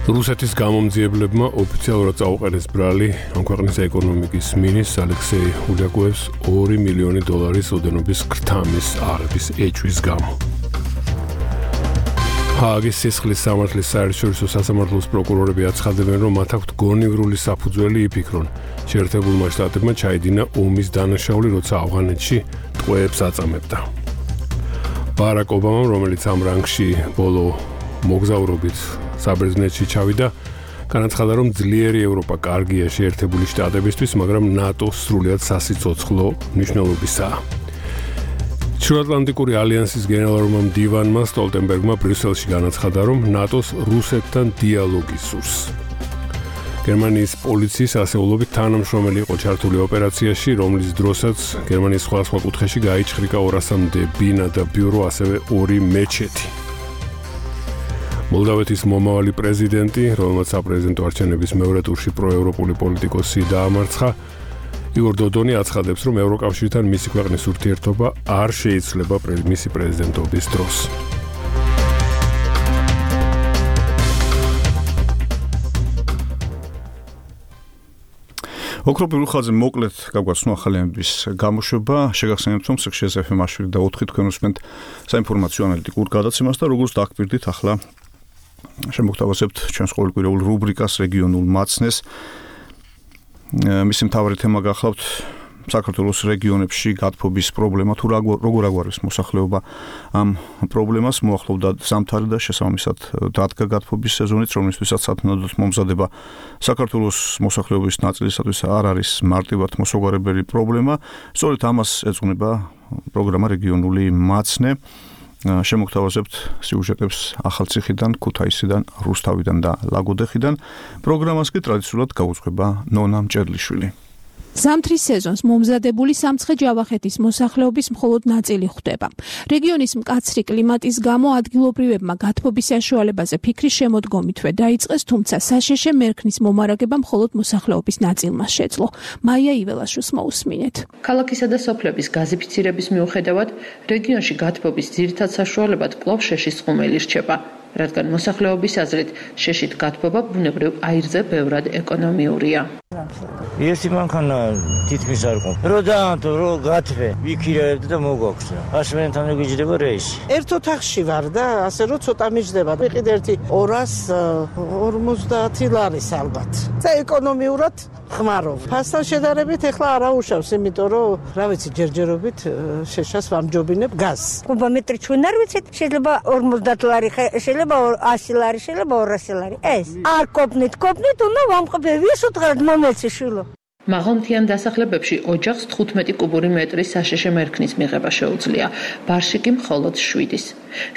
რუსეთის გამომძიებლებმა ოფიციალურად წაუყენეს ბრალი ამ ქვეყნის ეკონომიკის მინისტრ ალექსეი ულიაკოევს $2 მილიონი ოდენობის ქრთამის აღების ეჭვის გამო. ჰააგის სისხლის სამართლის საერთაშორისო სასამართლოს პროკურორები აცხადებენ, რომ მათ აქვთ გონივრული საფუძველი იფიქრონ, შეერთებულმა შტატებმა ჩაიდინა ომის დანაშაული, როცა ავღანეთში ტყვეებს აწამებდა. ბარაკ ობამამ, რომელიც ამ რანგში ბოლო მოგზაურობით საბერძნეთში ჩავიდა, განაცხადა, რომ ძლიერი ევროპა კარგია შეერთებული შტატებისთვის, მაგრამ ნატო სრულიად სასიცოცხლო მნიშვნელობისაა. ჩრდილოატლანტიკური ალიანსის გენერალურმა მდივანმა სტოლტენბერგმა ბრიუსელში განაცხადა, რომ ნატოს რუსეთთან დიალოგი სურს. გერმანიის პოლიციის ასეულობით თანამშრომელი იყო ჩართული ოპერაციაში, რომლის დროსაც გერმანიის სხვადასხვა კუთხეში გაიჩხრიკა 200-მდე ბინა და ბიურო, ასევე 2 მეჩეთი. მოლდავეთის მომავალი პრეზიდენტი, რომელმაც საპრეზიდენტო არჩევნების მეორე ტურში პროევროპული პოლიტიკოსი დაამარცხა, იგორ დოდონი აცხადებს, რომ ევროკავშირთან მისი ქვეყნის ურთიერთობა არ შეიცვლება მისი პრეზიდენტობის დროს. ოქრო პირუხაძე მოკლედ გაგვაცნო ახალი ამბების გამოშვება. შეგახსენებთ, რომ სექშიას FM-ში და 4 თქვენ უსმენთ საინფორმაციო ანალიტიკურ გადაცემას და როგორც დაგკვირდით, ახლა შემოგთავაზებთ ჩვენს ყოველკვირეულ რუბრიკას რეგიონულ მაცნეს. მისი მთავარი თემა გახლავთ საქართველოს რეგიონებში გათბობის პრობლემა თუ როგორ აგვარებს მოსახლეობა ამ პრობლემას. მოახლოვდა ზამთარი და შესაბამისად დადგა გათბობის სეზონიც, რომლისთვისაც სათანადოდ მომზადება საქართველოს მოსახლეობის ნაწილისათვის არ არის მარტივად მოსაგვარებელი პრობლემა. სწორედ ამას ეძღვნება პროგრამა რეგიონული მაცნე. შემოგთავაზებთ სიუჟეტებს ახალციხიდან, ქუთაისიდან, რუსთავიდან და ლაგოდეხიდან. პროგრამას კი ტრადიციულად გაუძღვება ნონა მჭედლიშვილი. ზამთრის სეზონს მომზადებული სამცხე-ჯავახეთის მოსახლეობის მხოლოდ ნაწილი ხვდება. რეგიონის მკაცრი კლიმატის გამო ადგილობრივებმა გათბობის საშუალებაზე ფიქრის შემოდგომითვე დაიწყეს, თუმცა საშეშე მერქნის მომარაგება მხოლოდ მოსახლეობის ნაწილმა შეძლო. მაია იველაშვილს მოусმინეთ. ქალაქისა და სოფლების გაზიფიცირების მიუხედავად, რეგიონში გათბობის ძირითად საშუალებად კვლავ შეშის ხუმელი რჩება. რადგან მოსახლეობის აზრით შეშით გათბობა ბუნებრივ აირზე ბევრად ეკონომიურია. Если მანქანა თითქმის არ ყო. რო დაანთო, რო გათბე, ვიქირაებდი და მოგვაქვს. ასმენთან გიჯდება რეისი. ერთ ოთახში ვარ და ასე რომ ცოტა მიჯდება. ვიყიდე ერთი 250 ლარის ალბათ. და ეკონომიურად ხმარობ. ფასთან შედარებით ეხლა არა უშავს, იმიტომ რომ რა ვიცი, ჯერჯერობით შეშას ვამჯობინებ გაზს. კუბომეტრი ჩვენ არ ვიცით, შეიძლება 50 ლარი, შეიძლება 100 ლარი, შეიძლება 200 ლარი. ეს არ კოპნით, უნდა ვამყობე ვისუთხარად მომეცი შვილო. მაღალმთიან დასახლებებში ოჯახს 15 კუბური მეტრის საშეშე მერქნის მიღება შეუძლია, ბარში კი მხოლოდ 7-ის.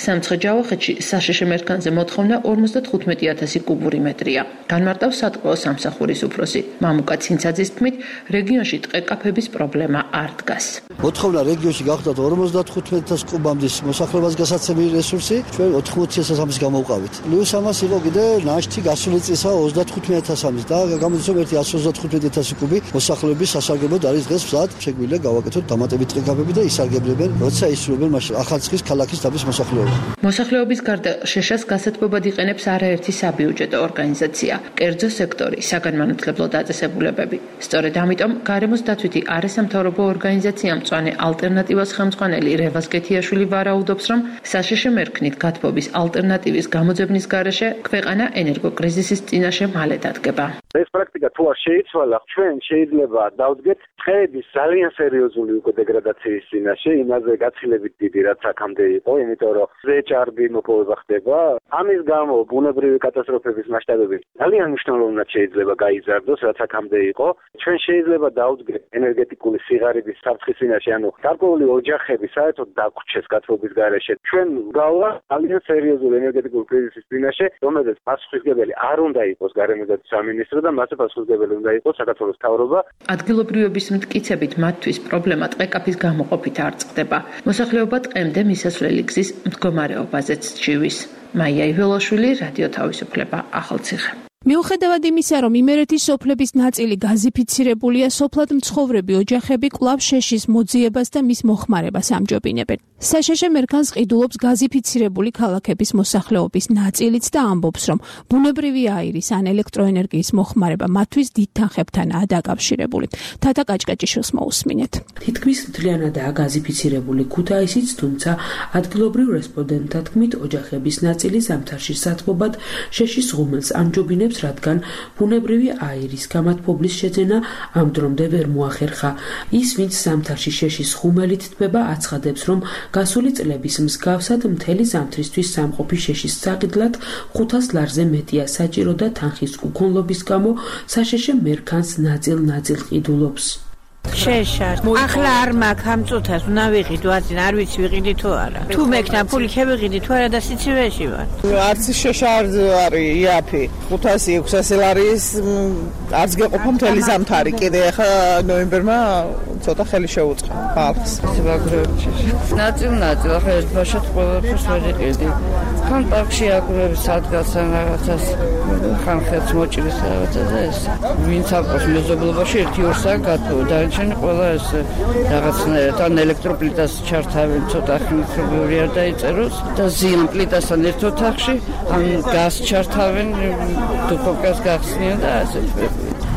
სამცხე-ჯავახეთში საშეშე მერქანზე მოთხოვნა 55,000 კუბური მეტრია. განმარტავს სატყეო სამსახურის უფროსი მამუკა ცინცაძის თქმით, რეგიონში ტყე-კაფების პრობლემა არ დგას. მოთხოვნა რეგიონში გახდათ 55,000 კუბამდე მოსახლეობას გასაცემი რესურსი, ჩვენ 80,000-ს გამოვყავით. პლუს ამას იყო კიდე ნაშთი გასული წისა 35,000 და გამოდის რომ ერთი 135,000 კუბი მოსახლეობის სასარგებლოდ არის დღეს მზად. შეგვიძლია გავაკეთოთ დამატებით ტყე-კაფები და ისარგებლებენ, როცა ისრულებენ მაშინ ახალციხის ქალაქის დაბის მოსახლეობა. მოსახლეობის გარდა შეშას გასათბობად იყენებს არაერთი საბიუჯეტო ორგანიზაცია, კერძო სექტორი, საგანმანათლებლო დაწესებულებები. სწორედ ამიტომ გარემოს დაცვითი არასამთავრობო ორგანიზაცია მწვანე ალტერნატივას ხელმძღვანელი რევაზ გეთიაშვილი ვარაუდობს, რომ საშეშე მერქნით გათბობის ალტერნატივის გამოძებნის გარეშე ქვეყანა ენერგოკრიზისის წინაშე მალე დადგება. ეს პრაქტიკა თუ არ შეიცვალა, ჩვენ შეიძლება დავდგეთ ხეების ძალიან სერიოზული უკვე დეგრადაციის წინაშე, იმაზე გაცილებით დიდი რაც აქამდე იყო, იმიტომ რომ ზეჭარბი მოპოვება ხდება. ამის გამო ბუნებრივი კატასტროფების მასშტაბები ძალიან მნიშვნელოვნად შეიძლება გაიზარდოს, რაც აქამდე იყო. ჩვენ შეიძლება დავდგეთ ენერგეტიკული სიღარიბის საფრთხის წინაშე, ანუ გარკვეული ოჯახები საერთოდ დაგვრჩეს გათბობის გარეშე. ჩვენ გავლა ძალიან სერიოზული ენერგეტიკული კრიზისის წინაშე, რომელზეც პასუხისმგებელი არ უნდა იყოს გარემოსდაცვის სამინისტრო და მასზე პასუხისმგებელი უნდა იყოს საქართველოს მთავრობა. ადგილობრივების მტკიცებით მათთვის პრობლემა ტყეკაფის გამოყოფით არ წყდება. მოსახლეობა ტყემდე მისასვლელი გზის მდგომარეობაზეც ჩივის. მაია იველაშვილი, რადიო თავისუფლება, ახალციხე. მიუხედავად იმისა, რომ იმერეთის სოფლების ნაწილი გაზიფიცირებულია, სოფლად მცხოვრები ოჯახები კვლავ შეშის მოძიებას და მის მოხმარებას ამჯობინებენ. საშშ მერქანს ყიდულობს გაზიფიცირებული ქალაქების მოსახლეობის ნაწილიც და ამბობს, რომ ბუნებრივი აირის ან ელექტროენერგიის მოხმარება მათთვის დიდ თანხებთანაა დაკავშირებული. თათა კაჭკაჭიშვილს მოусმინეთ. თითქმის მთლიანადაა გაზიფიცირებული ქუთაისიც, თუმცა ადგილობრივ რესპონდენტთა თქმით, ოჯახების ნაწილი ზამთარში სათბობად შეშის ღუმელს ამჯობინებს, რადგან ბუნებრივი აირის გამათბობლის შეძენა ამ დრომდე ვერ მოახერხა. ის, ვინც ზამთარში შეშის ღუმელით თბება, აცხადებს, რომ გასული წლების მსგავსად მთელი ზამთრისთვის სამყოფი შეშის საყიდლად 500 ლარზე მეტია საჭირო და თანხის უქონლობის გამო საშშ მერქანს ნაწილ-ნაწილ ყიდულობს. შეშარ. ახლა არ მაქვს ამ წუთას, უნდა ვიყიდო, არ ვიცი ვიყიდი თუ არა. თუ მექნა ფული შევიყიდი თუ არა და სიცივეში ვარ. არც შეშარ არის იაფი. 500-600 ლარის არც გეყოფა მთელი ზამთარი. კიდე ახლა ნოემბერმა ცოტა ხელი შეუწყა ხალხს. ნაწილ-ნაწილ ახლა ერთ ბაშად ყველაფერს ვეყიდი. ხან პარკში აგრებს ადგილსა რაღაცას, ხან ხელს მოჭრის რაღაცა და ეს. ვინც აკეთებს მეზობლობაში 1-2 საათი გათხოვდა. ჩვენ ყველა ეს რაღაცნაირად ან ელექტროპლიტას ჩართავენ, ცოტა ხმისებური არ დაიწეროს და ზიან პლიტასთან ერთ ოთახში, ან გაზ ჩართავენ, დუხოვკას გახსნიან და ასე.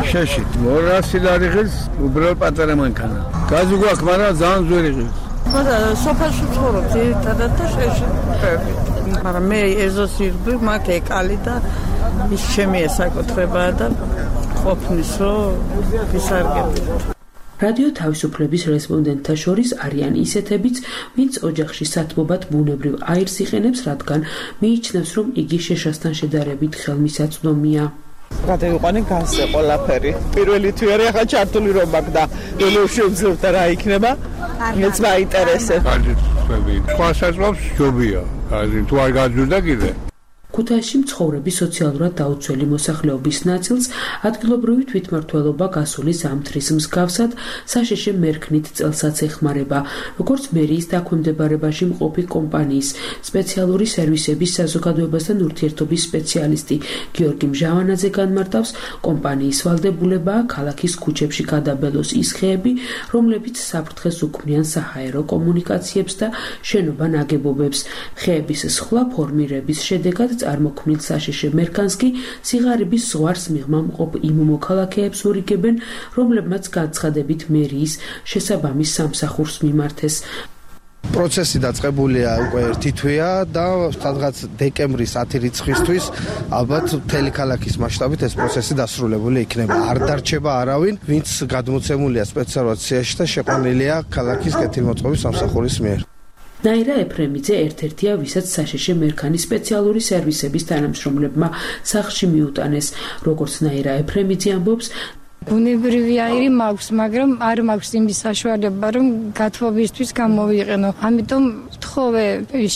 შეშით 200 ლარი ღირს უბრალოდ პატარა მანქანა. გაზი გვაქვს, მაგრამ ძალიან ძველი ღირს. მაგრამ სოფელში ვცხოვრობ ძირითადად და შეშით ვწევით. მაგრამ მე ეზოს ირბი, მაგ ეკალი და ის ჩემი ესაკუთრებაა და ყოფნის რომ ვისარგებლოთ. რადიო თავისუფლების რესპონდენტთა შორის არიან ისეთებიც, ვინც ოჯახში სათბობად ბუნებრივ აირს იყენებს, რადგან მიიჩნევს, რომ იგი შეშასთან შედარებით ხელმისაწვდომია. გადავიყვანე გაზზე ყველაფერი. პირველი თვიარი ახლა ჩართული რომ მაქვს და ველოში ვძლებ და რა იქნება? მეც მაინტერესებს. სხვა საზღვრებს ჯობია. თუ არ გაძვირდა კიდე. ქუთაისში მცხოვრები სოციალურად დაუცველი მოსახლეობის ნაწილს ადგილობრივი თვითმმართველობა გასული ზამთრის მსგავსად საშშ მერქნით წელსაც ეხმარება, როგორც მერიის დაქვემდებარებაში მყოფი კომპანიის სპეციალური სერვისების საზოგადოებასთან ურთიერთობის სპეციალისტი გიორგი მჟავანაძე განმარტავს, კომპანიის ვალდებულებაა ქალაქის ქუჩებში გადაბელოს ის ხეები, რომლებიც საფრთხეს უქმნიან საჰაერო კომუნიკაციებს და შენობა ნაგებობებს. ხეების სხვა ფორმირების შედეგად წარმოქმნილ საშშ მერქანს კი სიღარიბის ზღვარს მიღმა მყოფ იმ მოქალაქეებს ურიგებენ, რომლებმაც განცხადებით მერიის შესაბამის სამსახურს მიმართეს. პროცესი დაწყებულია უკვე ერთი თვეა და სადღაც დეკემბრის 10 რიცხვისთვის ალბათ მთელი ქალაქის მასშტაბით ეს პროცესი დასრულებული იქნება. არ დარჩება არავინ, ვინც გადმოცემულია სპეციალურად სიაში და შეყვანილია ქალაქის კეთილმოწყობის სამსახურის მიერ. ნაირა ეფრემიძე ერთ-ერთია, ვისაც საშშ მერქანის სპეციალური სერვისების თანამშრომლებმა სახლში მიუტანეს. როგორც ნაირა ეფრემიძე ამბობს, ბუნებრივი აირი მაქვს, მაგრამ არ მაქვს იმის საშუალება, რომ გათბობისთვის გამოვიყენო. ამიტომ ვთხოვე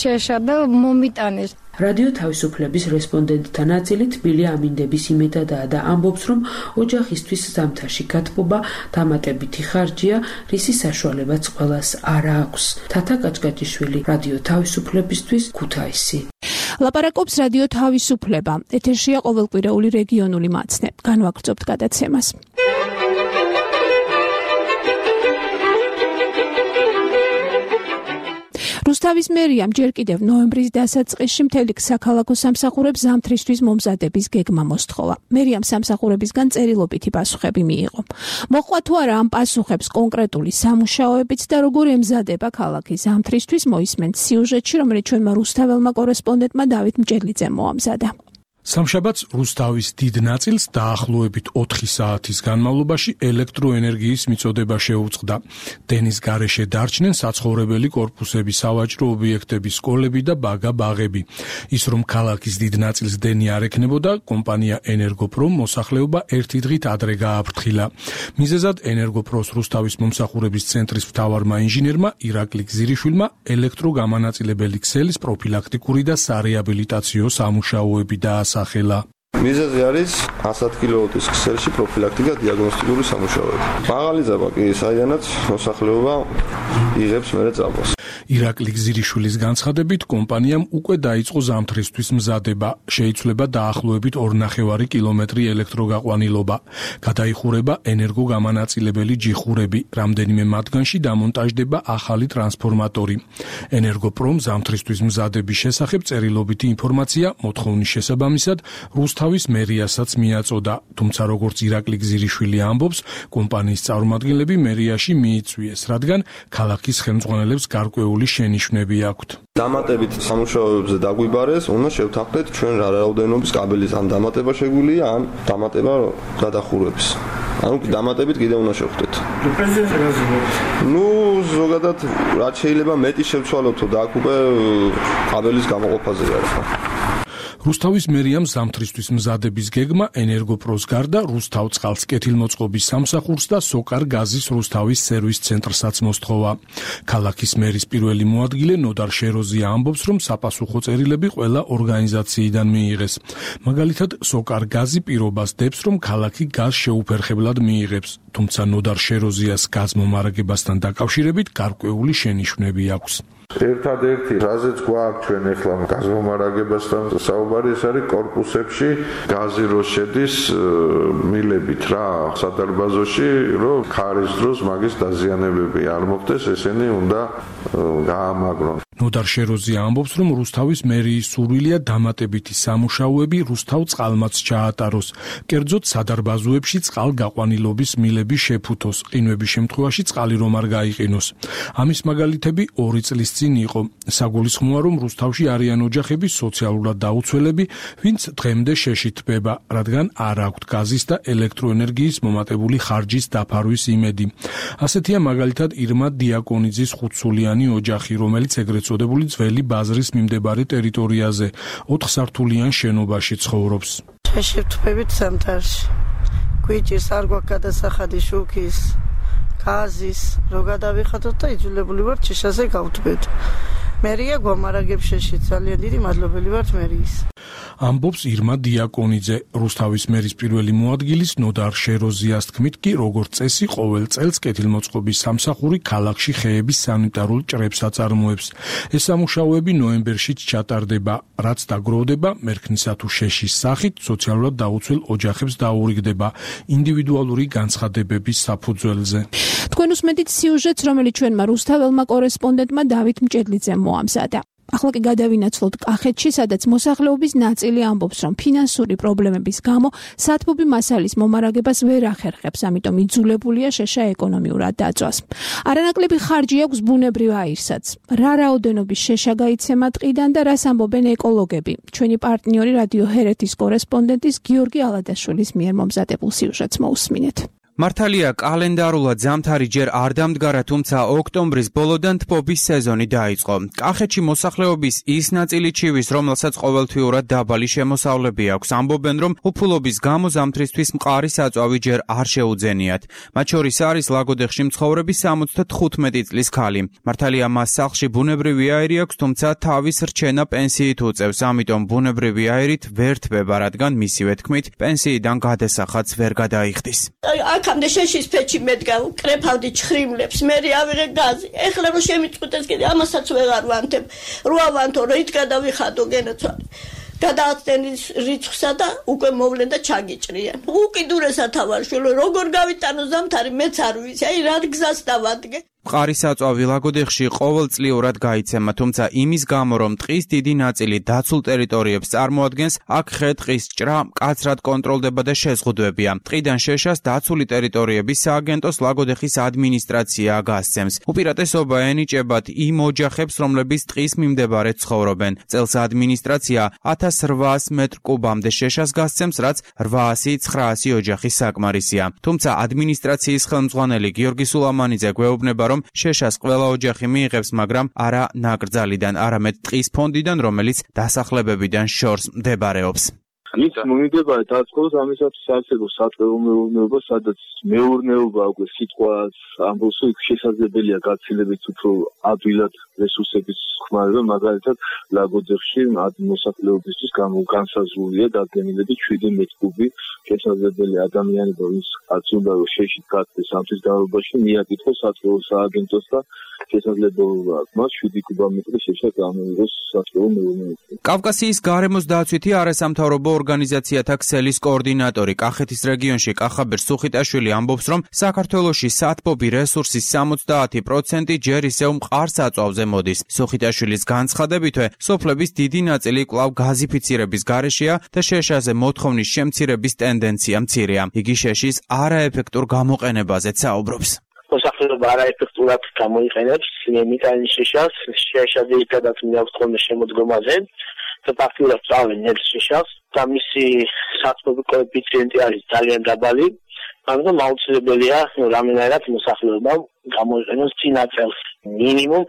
შეშა და მომიტანეს. რადიო თავისუფლების რესპონდენტთა ნაწილი თბილი ამინდების იმედადაა და ამბობს, რომ ოჯახისთვის ზამთარში გათბობა დამატებითი ხარჯია, რისი საშუალებაც ყველას არ აქვს. თათა კაჭკაჭიშვილი, რადიო თავისუფლებისთვის, ქუთაისი. ლაპარაკობს რადიო თავისუფლება. ეთერშია ყოველკვირეული რეგიონული მაცნე. განვაგრძობთ გადაცემას. რუსთავის მერიამ ჯერ კიდევ ნოემბრის დასაწყისში მთელი საქალაქო სამსახურებს ზამთრისთვის მომზადების გეგმა მოსთხოვა. მერიამ სამსახურებისგან წერილობითი პასუხები მიიღო. მოყვა თუ არა ამ პასუხებს კონკრეტული სამუშაოებიც და როგორ ემზადება ქალაქი ზამთრისთვის მოისმენთ სიუჟეტში, რომელიც ჩვენმა რუსთაველმა კორესპონდენტმა დავით მჭედლიძემ მოამზადა. სამშაბათს რუსთავის დიდ ნაწილს დაახლოებით 4 საათის განმავლობაში ელექტროენერგიის მიწოდება შეუწყდა. დენის გარეშე დარჩნენ საცხოვრებელი კორპუსები, სავაჭრო ობიექტები, სკოლები და ბაგა-ბაღები. ის რომ ქალაქის დიდ ნაწილს დენი არ ექნებოდა, კომპანია ენერგოპრომ მოსახლეობა ერთი დღით ადრე გააფრთხილა. მიზეზად ენერგოპროს რუსთავის მომსახურების ცენტრის მთავარმა ინჟინერმა ირაკლი გზირიშვილმა ელექტროგამანაწილებელი ქსელის პროფილაქტიკური და სარეაბილიტაციო სამუშაოები დაასახელა. მიზეზი არის 100 კილოვატის ქსელში პროფილაქტიკა დიაგნოსტიკური სამუშაოები. მაღალი ძაბა კი საიდანაც მოსახლეობა იღებს მერე წამოს. ირაკლი გზირიშვილის განცხადებით, კომპანიამ უკვე დაიწყო ზამთრისთვის მზადება. შეიცვლება დაახლოებით 2,5 კილომეტრი ელექტროგაყვანილობა. გადაიხურება ენერგოგამანაწილებელი ჯიხურები. რამდენიმე მათგანში დამონტაჟდება ახალი ტრანსფორმატორი. ენერგოპრომ ზამთრისთვის მზადების შესახებ წერილობითი ინფორმაცია მოთხოვნის შესაბამისად რუსთავის მერიასაც მიაწოდა, თუმცა როგორც ირაკლი გზირიშვილი ამბობს, კომპანიის წარმომადგენლები მერიაში მიიწვიეს, რადგან ქალაქის ხელმძღვანელებს გარკვეული შენიშვნები აქვთ. დამატებით სამუშაოებზე დაგვიბარეს, უნდა შევთანხმდეთ ჩვენ რა რაოდენობის კაბელის ან დამატება შეგვიძლია, ან დამატება გადახურების. ანუ დამატებით კიდე უნდა შევხვდეთ. ზოგადად რაც შეიძლება მეტი შევცვალოთო და აქ უკვე კაბელის გამოყოფაზე არის. რუსთავის მერიამ ზამთრისთვის მზადების გეგმა ენერგოპროს გარდა რუსთავ წყალს კეთილმოწყობის სამსახურს და სოკარ გაზის რუსთავის სერვის ცენტრსაც მოსთხოვა. ქალაქის მერის პირველი მოადგილე ნოდარ შეროზია ამბობს, რომ საპასუხო წერილები ყველა ორგანიზაციიდან მიიღეს. მაგალითად, სოკარ გაზი პირობას დებს, რომ ქალაქი გაზს შეუფერხებლად მიიღებს, თუმცა ნოდარ შეროზიას გაზმომარაგებასთან დაკავშირებით გარკვეული შენიშვნები აქვს. ერთადერთი რაზეც გვაქვს ჩვენ ახლა გაზმომარაგებასთან საუბარი, ეს არის კორპუსებში გაზი რო შედის მილებით რა სადარბაზოში, რომ ქარის დროს მაგის დაზიანებები არ მოხდეს, ესენი უნდა გაამაგრონ. ნოდარ შეროზია ამბობს, რომ რუსთავის მერიის სურვილია დამატებითი სამუშაოები რუსთავ წყალმაც ჩაატაროს. კერძოდ სადარბაზოებში წყალგაყვანილობის მილები შეფუთოს, ყინვების შემთხვევაში წყალი რომ არ გაიყინოს. ამის მაგალითები 2 წლის წინ იყო. საგულისხმოა, რომ რუსთავში არიან ოჯახები სოციალურად დაუცველები, ვინც დღემდე შეშიტბება, რადგან არ აქვთ გაზის და ელექტროენერგიის მომატებული ხარჯის დაფარვის იმედი. ასეთია მაგალითად ირმა დიაკონიძის 5-სულიანი ოჯახი, რომელიც ეგრეთ წოდებული ძველი ბაზრის მიმდებარე ტერიტორიაზე 4 სართულიან შენობაში ცხოვრობს. შეშიფთვებით ზამთარში. გვიჭირს არ გვაქვს გადასახადი შუქის, გაზის, რო გადავიხადოთ და იძულებული ვართ შიშაზე გავთბეთ. მერია გვამარაგებს შეშით, ძალიან დიდი მადლობელი ვართ მერიის. ამბობს ირმა დიაკონიძე. რუსთავის მერის პირველი მოადგილის ნოდარ შეროზიას თქმით კი, როგორც წესი, ყოველ წელს კეთილმოწყობის სამსახური ქალაქში ხეების სანიტარულ ჭრებს აწარმოებს. ეს სამუშაოები ნოემბერშიც ჩატარდება, რაც დაგროვდება მერქნისა თუ შეშის სახით სოციალურად დაუცველ ოჯახებს დაურიგდება ინდივიდუალური განცხადებების საფუძველზე. თქვენ უსმენთ სიუჟეტს, რომელიც ჩვენმა რუსთაველმა კორესპონდენტმა დავით მჭედლიძემ მოამზადა. ახლა კი გადავინაცვლოთ კახეთში, სადაც მოსახლეობის ნაწილი ამბობს, რომ ფინანსური პრობლემების გამო სათბობი მასალის მომარაგებას ვერ ახერხებს, ამიტომ იძულებულია შეშა ეკონომიურად დაწვას. არანაკლები ხარჯი აქვს ბუნებრივ აირსაც. რა რაოდენობის შეშა გაიცემა ტყიდან და რას ამბობენ ეკოლოგები? ჩვენი პარტნიორი რადიო ჰერეთის კორესპონდენტის გიორგი ალადაშვილის მიერ მომზადებულ სიუჟეტს მოусმინეთ. მართალია კალენდარულად ზამთარი ჯერ არ დამდგარა, თუმცა ოქტომბრის ბოლოდან თბობის სეზონი დაიწყო. კახეთში მოსახლეობის ის ნაწილი ჩივის, რომელსაც ყოველთვიურად დაბალი შემოსავლები აქვს, ამბობენ, რომ უფულობის გამო ზამთრისთვის მყარი საწვავი ჯერ არ შეუძენიათ. მათ შორის არის ლაგოდეხში მცხოვრები 75 წლის ქალი. მართალია მას სახლში ბუნებრივი აირი აქვს, თუმცა თავის რჩენა პენსიით უწევს, ამიტომ ბუნებრივი აირით ვერ თბება, რადგან მისივე თქმით, პენსიიდან გადასახადს ვერ გადაიხდის. აქამდე შეშის ფეჩი მედგა, კრეფავდი ჩხრიმლებს, მე ავიღე გაზი. ეხლა რომ შემიწყვეტეს კიდე ამასაც ვეღარ ვანთებ. რო ავანთო, რომ იქ გადავიხადო გენაცვალე. გადააცდენის რიცხვსა და უკვე მოვლენ და ჩაგიჭრიან. უკიდურესად ავარშვილო, როგორ გავიტანო ზამთარი მეც არ ვიცი. აი რა გზას დავადგე. მყარი საწვავი ლაგოდეხში ყოველწლიურად გაიცემა, თუმცა იმის გამო, რომ ტყის დიდი ნაწილი დაცულ ტერიტორიებს წარმოადგენს, აქ ხე-ტყის ჭრა მკაცრად კონტროლდება და შეზღუდვებია. ტყიდან შეშას დაცული ტერიტორიების სააგენტოს ლაგოდეხის ადმინისტრაცია გასცემს. უპირატესობა ენიჭებათ იმ ოჯახებს, რომლებიც ტყის მიმდებარედ ცხოვრობენ. წელს ადმინისტრაცია 1800 მეტრ კუბამდე შეშას გასცემს, რაც 800-900 ოჯახის საკმარისია. თუმცა ადმინისტრაციის ხელმძღვანელი გიორგი სულამანიძე გვეუბნება, რომ შეშას ყველა ოჯახი მიიღებს, მაგრამ არა ნაკრძალიდან, არამედ ტყის ფონდიდან, რომელიც დასახლებებიდან შორს მდებარეობს. ის მომიდება დაწყოს ამისათვის საერთოდ სატყეო მეურნეობა, სადაც მეურნეობა უკვე სიტყვას ამბობს, იქ შესაძლებელია გაცილებით უფრო ადვილად რესურსების ხმარება, მაგალითად ლაგოდეხში მოსახლეობისთვის განსაზღვრულია დადგენილებით 7 მეტր კუბი შესაძლებელი ადამიანებო ის კაცი უნდა რომ შეშით გაწდეს ამ თვის განმავლობაში მიაკითხოს სატყეო სააგენტოს და შესაძლებლობა მას 7 კუბომეტრი შეშა გამოიღოს სატყეო მეურნეობაში. კავკასიის გარემოს დაცვითი არასამთავრობო ორგანიზაციათა ქსელის კოორდინატორი კახეთის რეგიონში კახაბერ სუხიტაშვილი ამბობს, რომ საქართველოში სათბობი რესურსის 70% ჯერ ისევ მყარ-საწვავზე მოდის. სუხიტაშვილის განცხადებითვე, სოფლების დიდი ნაწილი კვლავ გაზიფიცირების გარეშეა და შეშაზე მოთხოვნის შემცირების ტენდენცია მცირეა. იგი შეშის არაეფექტურ გამოყენებაზეც საუბრობს. მოსახლეობა არაეფექტურად გამოიყენებს მიტანის შეშას, შეშა ძირითადად მიაღწევს შემოდგომაზე და ფაქტურად წავენ ნებს შეშას და მისი სათბობი კოეფიციენტი არის ძალიან დაბალი. ამიტომ აუცილებელია რამენერად მოსახლეობამ გამოიყენოს წინა წელს მინიმუმ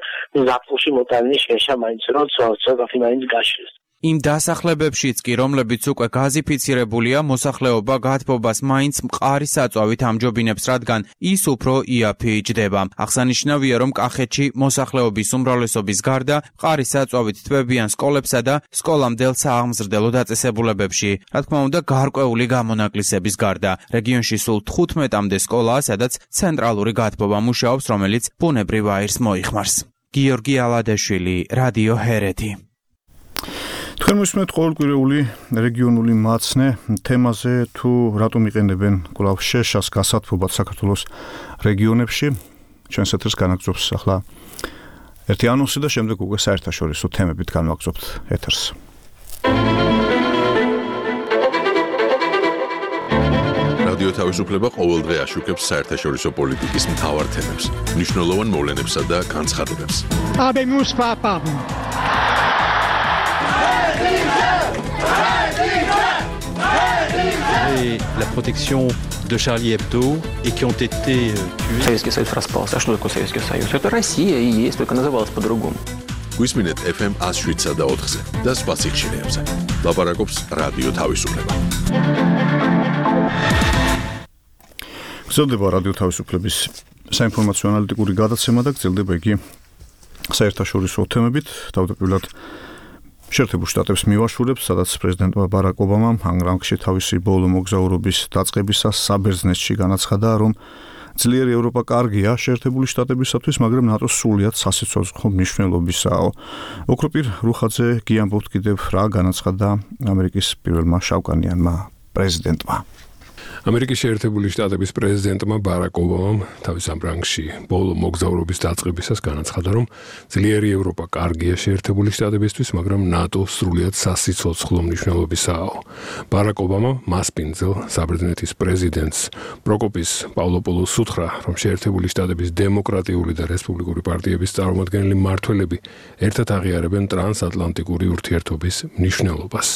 ზაფხულში მოტანილი შეშა მაინც რომ ცოტათი მაინც გაშლეს. იმ დასახლებებშიც კი, რომლებიც უკვე გაზიფიცირებულია, მოსახლეობა გათბობას მაინც მყარი საწვავით ამჯობინებს, რადგან ის უფრო იაფი იჯდება. აღსანიშნავია, რომ კახეთში მოსახლეობის უმრავლესობის გარდა მყარი საწვავით თბებიან სკოლებსა და სკოლამდელ სააღმზრდელო დაწესებულებებში. რა თქმა უნდა, გარკვეული გამონაკლისების გარდა. რეგიონში სულ 15-მდე სკოლაა, სადაც ცენტრალური გათბობა მუშაობს, რომელიც ბუნებრივ აირს მოიხმარს. გიორგი ალადეშვილი, რადიო ჰერეთი. თქვენ მოსმენთ ყოველკვირეული რეგიონული მაცნე თემაზე თუ რატომ იყენებენ კვლავ შეშას გასათბობად საქართველოს რეგიონებში. ჩვენს ეთერს განაგზობს ახლა ერთი ანონსი და შემდეგ უკვე საერთაშორისო თემებით განვაგზობთ ეთერს. რადიო თავისუფლება ყოველდღე აშუქებს საერთაშორისო პოლიტიკის მთავარ თემებს, მნიშვნელოვან მოვლენებსა და განცხადებებს. La protection de Charlie Hebdo et qui ont été tués. Советский Союз распался. А что такое Советский Союз? Это Россия и есть, только называлась по-другому. Გვისმინეთ FM 107 და 4-ზე და სხვა სიხშირეებზე. ლაპარაკობს რადიო თავისუფლება. გრძელდება რადიო თავისუფლების საინფორმაციო ანალიტიკური გადაცემა და გრძელდება იგი საერთაშორისო თემებით, თავდაპირველად შეერთებულ შტატებს მივაშურებს, სადაც პრეზიდენტმა ბარაკ ობამამ ამ რანგში თავისი ბოლო მოგზაურობის დაწყებისას საბერძნეთში განაცხადა, რომ ძლიერი ევროპა კარგია შეერთებული შტატებისათვის, მაგრამ ნატოს სრულიად სასიცოცხლო მნიშვნელობისაა. ოქროპირ რუხაძე გიამბობთ კიდევ რა განაცხადა ამერიკის პირველმა შავკანიანმა პრეზიდენტმა. ამერიკის შეერთებული შტატების პრეზიდენტმა ბარაკ ობამამ თავის ამ რანგში ბოლო მოგზაურობის დაწყებისას განაცხადა, რომ ძლიერი ევროპა კარგია შეერთებული შტატებისთვის, მაგრამ ნატო სრულიად სასიცოცხლო მნიშვნელობისაა. ბარაკ ობამა მასპინძელ საბერძნეთის პრეზიდენტს პროკოპის პავლოპოლოს უთხრა, რომ შეერთებული შტატების დემოკრატიული და რესპუბლიკური პარტიების წარმომადგენელი მმართველები ერთად აღიარებენ ტრანსატლანტიკური ურთიერთობის მნიშვნელობას.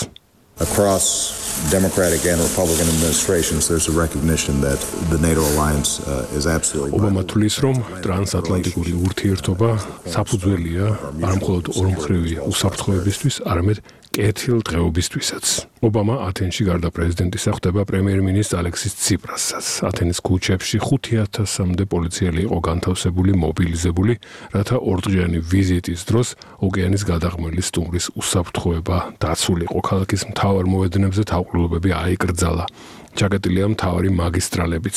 Across Democratic and Republican administrations, there's a recognition that the NATO alliance is absolutely vital. ობამა თვლის, რომ ტრანსატლანტიკური ურთიერთობა საფუძველია არა მხოლოდ ორმხრივი უსაფრთხოებისთვის, არამედ კეთილდღეობისთვისაც. ობამა ათენში გარდა პრეზიდენტისა ხვდება პრემიერ-მინისტრ ალექსის ციპრასაც. ათენის ქუჩებში 5,000-მდე პოლიციელი იყო განთავსებული, მობილიზებული, რათა ორდღიანი ვიზიტის დროს ოკეანის გადაღმელი სტუმრის უსაფრთხოება დაცულიყო. ქალაქის მთავარ მოედნებზე თავყრილობები აიკრძალა. ჩაკეტილია მთავარი მაგისტრალებიც.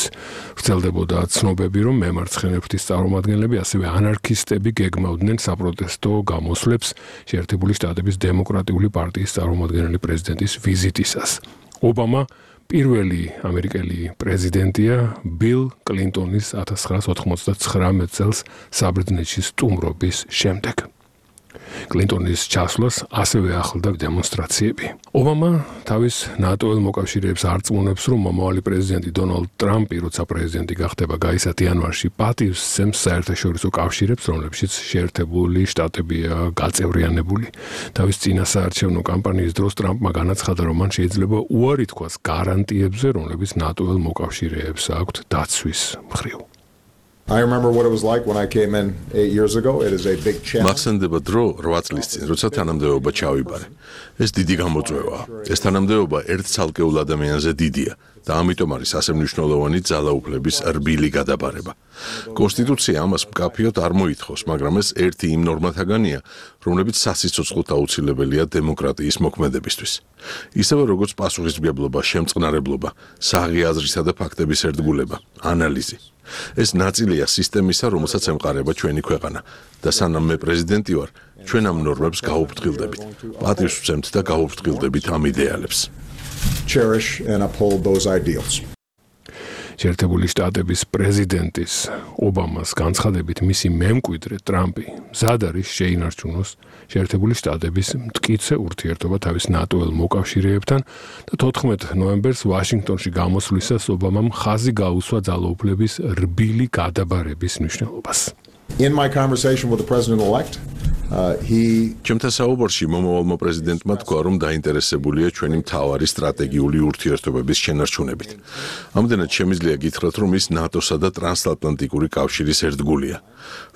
ვრცელდებოდა ცნობები, რომ მემარცხენე ფრთის წარმომადგენლები, ასევე ანარქისტები გეგმავდნენ საპროტესტო გამოსვლებს შეერთებული შტატების დემოკრატიული პარტიის წარმომადგენელი პრეზიდენტის ვიზიტისას. ობამა პირველი ამერიკელი პრეზიდენტია ბილ კლინტონის 1999 წელს საბერძნეთში სტუმრობის შემდეგ. კლინტონის ჩასვლას ასევე ახლდა დემონსტრაციები. ობამა თავის ნატოელ მოკავშირეებს არწმუნებს, რომ მომავალი პრეზიდენტი დონალდ ტრამპი, როცა პრეზიდენტი გახდება გაისათ იანვარში, პატივს სცემს საერთაშორისო კავშირებს, რომლებშიც შეერთებული შტატებია გაწევრიანებული. თავის წინასაარჩევნო კამპანიის დროს ტრამპმა განაცხადა, რომ მან შეიძლება უარი თქვას გარანტიებზე, რომლებიც ნატოელ მოკავშირეებს აქვთ დაცვის მხრივ. I remember what it was like when I came in 8 years ago. It is a big challenge. მახსენდება დრო 8 წლის წინ, როცა თანამდებობა ჩავიბარე. ეს დიდი გამოწვევაა. ეს თანამდებობა ერთ ცალკეულ ადამიანზე დიდია და ამიტომ არის ასე მნიშვნელოვანი ძალაუფლების რბილი გადაბარება. კონსტიტუცია ამას მკაფიოდ არ მოითხოვს, მაგრამ ეს ერთი იმ ნორმათაგანია, რომლებიც სასიცოცხლოდ აუცილებელია დემოკრატიის მოქმედებისთვის. ისევე როგორც პასუხისმგებლობა, შემწყნარებლობა, საღი აზრისა და ფაქტების ერთგულება, ანალიზი. ეს ნაწილია სისტემისა, რომელსაც ემყარება ჩვენი ქვეყანა და სანამ მე პრეზიდენტი ვარ, ჩვენ ამ ნორმებს გაუფრთხილდებით. პატივს ვცემთ და გაუფრთხილდებით ამ იდეალებს. Cherish and uphold those ideals. შეერთებული შტატების პრეზიდენტის ობამას განცხადებით მისი მემკვიდრე ტრამპი მზად არის შეინარჩუნოს შეერთებული შტატების მტკიცე ურთიერთობა თავის ნატოელ მოკავშირეებთან და 14 ნოემბერს ვაშინგტონში გამოსვლისას ობამამ ხაზი გაუსვა ძალაუფლების რბილი გადაბარების მნიშვნელობას. In my conversation with the president-elect, ჩემთან საუბარში მომავალმა პრეზიდენტმა თქვა, რომ დაინტერესებულია ჩვენი მთავარი სტრატეგიული ურთიერთობების შენარჩუნებით. ამდენად შემიძლია გითხრათ, რომ ის ნატოსა და ტრანსატლანტიკური კავშირის ერთგულია.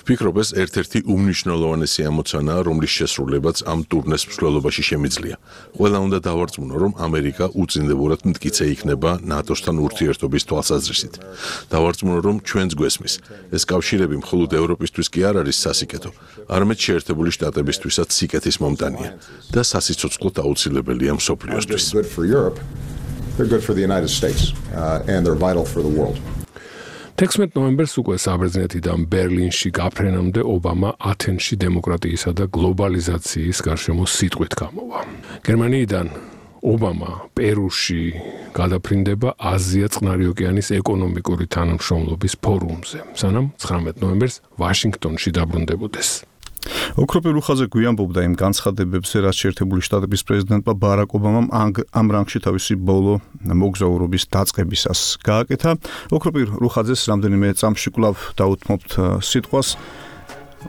ვფიქრობ, ეს ერთ-ერთი უმნიშვნელოვანესი ამოცანაა, რომლის შესრულებაც ამ ტურნეს მსვლელობაში შემიძლია. ყველა უნდა დავარწმუნო, რომ ამერიკა უწინდებურად მტკიცე იქნება ნატოსთან ურთიერთობის თვალსაზრისით. დავარწმუნო, რომ ჩვენს გვესმის. ეს კავშირები მხოლოდ ევროპისთვის კი არ არის სასიკეთო, არამედ შეერთებული შტატებისთვისაც სიკეთის მომტანია და სასიცოცხლოდ აუცილებელია მსოფლიოსთვის. They're good for the United States and they're vital for the world. 16 ნოემბერს უკვე საბერძნეთიდან ბერლინში გაფრენამდე ობამა ათენში დემოკრატიისა და გლობალიზაციის გარშემო სიტყვით გამოვა. გერმანიიდან ობამა პერუში გადაფრინდება აზია-წყნარი ოკეანის ეკონომიკური თანამშრომლობის ფორუმზე, სანამ 19 ნოემბერს ვაშინგტონში დაბრუნდებოდეს. ოქროპირ უხაზე გვიამბობდა იმ განცხადებებზე, რაც შეერთებული შტატების პრეზიდენტმა ბარაკ ობამამ ამ რანგში თავისი ბოლო მოგზაურობის დაწყებისას გააკეთა. ოქროპირ უხაძეს რამდენიმე წამში კვლავ დაუთმობთ სიტყვას.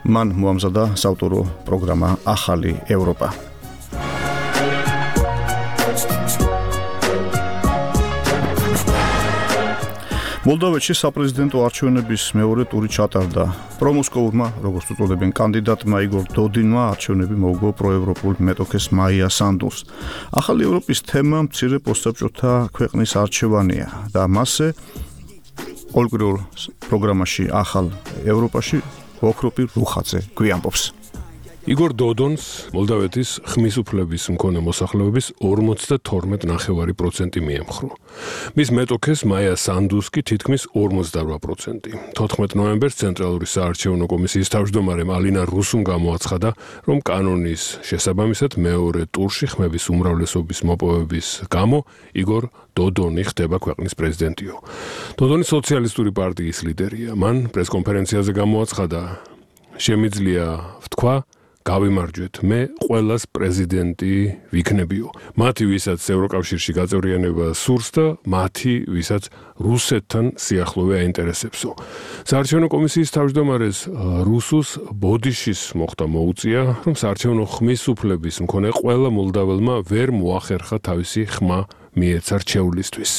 მან მოამზადა საავტორო პროგრამა ახალი ევროპა. მოლდოვეთში საპრეზიდენტო არჩევნების მეორე ტური ჩატარდა. პრომოსკოურმა, როგორც უწოდებენ კანდიდატმა იგორ დოდინმა არჩევნები მოუგო პროევროპულ მეტოქეს მაია სანდუს. ახალი ევროპის თემა მცირე პოსტსაბჭოთა ქვეყნის არჩევანია და მასზე ყოველკვირეულ პროგრამაში ახალ ევროპაში ოქროპირ უხაძე გვიამბობს. იგორ დოდონს მოლდოვეთის ხმის უფლების მქონე მოსახლეობის 52.9% მიემხრო. მის მეტოქეს მაია სანდუს კი თითქმის 48%. 14 ნოემბერს ცენტრალური საარჩევნო კომისიის თავმჯდომარემ ალინა რუსუმ გამოაცხადა, რომ კანონის შესაბამისად მეორე ტურში ხმების უმრავლესობის მოპოვების გამო იგორ დოდონი ხდება ქვეყნის პრეზიდენტიო. დოდონი სოციალისტური პარტიის ლიდერია. მან პრესკონფერენციაზე გამოაცხადა, შემიძლია ვთქვა, გავიმარჯვეთ, მე ყველას პრეზიდენტი ვიქნებიო. მათი, ვისაც ევროკავშირში გაწევრიანება სურს და მათი, ვისაც რუსეთთან სიახლოვე აინტერესებსო. საარჩევნო კომისიის თავმჯდომარეს რუსუს ბოდიშის მოხდა მოუწია, რომ საარჩევნო ხმის უფლების მქონე ყველა მოლდაველმა ვერ მოახერხა თავისი ხმა მიეცა რჩეულისთვის.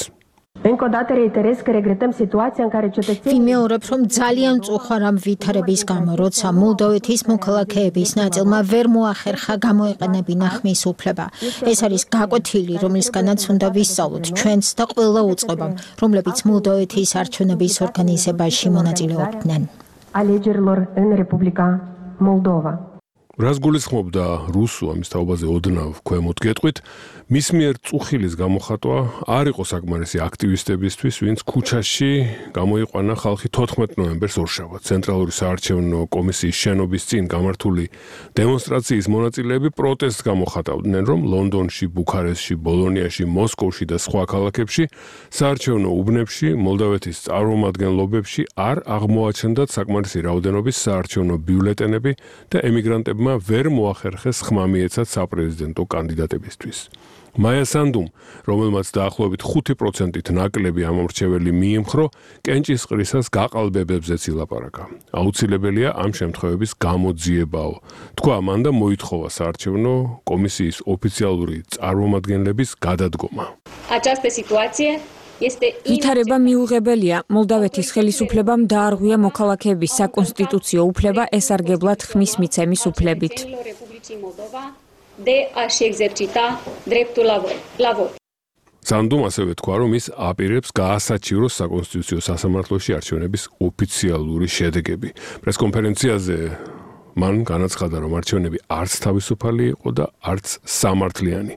ვიმეორებ, რომ ძალიან მწუხარ ამ ვითარების გამო, როცა მოლდოვეთის მოქალაქეების ნაწილმა ვერ მოახერხა გამოეყენებინა ხმის უფლება. ეს არის გაკვეთილი, რომლისგანაც უნდა ვისწავლოთ ჩვენც და ყველა უწყებამ, რომლებიც მოლდოვეთის არჩევნების ორგანიზებაში მონაწილეობდნენ. რას გულისხმობდა რუსო ამის თაობაზე ოდნავ ქვემოთ გეტყვით, მის მიერ წუხილის გამოხატვა არ იყო საკმარისი აქტივისტებისთვის, ვინც ქუჩაში გამოიყვანა ხალხი 14 ნოემბერს ორშაბათს. ცენტრალური საარჩევნო კომისიის შენობის წინ გამართული დემონსტრაციის მონაწილეები პროტესტს გამოხატავდნენ, რომ ლონდონში, ბუქარესტში, ბოლონიაში, მოსკოვში და სხვა ქალაქებში საარჩევნო უბნებში, მოლდავეთის წარმომადგენლობებში არ აღმოაჩნდათ საკმარისი რაოდენობის საარჩევნო ბიულეტენები და ემიგრანტებმა ვერ მოახერხეს ხმა მიეცათ საპრეზიდენტო კანდიდატებისთვის. მაია სანდუმ, რომელმაც დაახლოებით 5%-ით ნაკლები ამომრჩეველი მიემხრო, კენჭისყრისას გაყალბებებზეც ილაპარაკა. აუცილებელია ამ შემთხვევების გამოძიებაო. თქვა მან და მოითხოვა საარჩევნო კომისიის ოფიციალური წარმომადგენლების გადადგომა. ვითარება მიუღებელია. მოლდავეთის ხელისუფლებამ დაარღვია მოქალაქეების საკონსტიტუციო უფლება ესარგებლად ხმის მიცემის უფლებით. სანდუმ ასევე თქვა, რომ ის აპირებს გაასაჩივროს საკონსტიტუციო სასამართლოში არჩევნების ოფიციალური შედეგები. პრესკონფერენციაზე მან განაცხადა, რომ არჩევნები არც თავისუფალი იყო და არც სამართლიანი.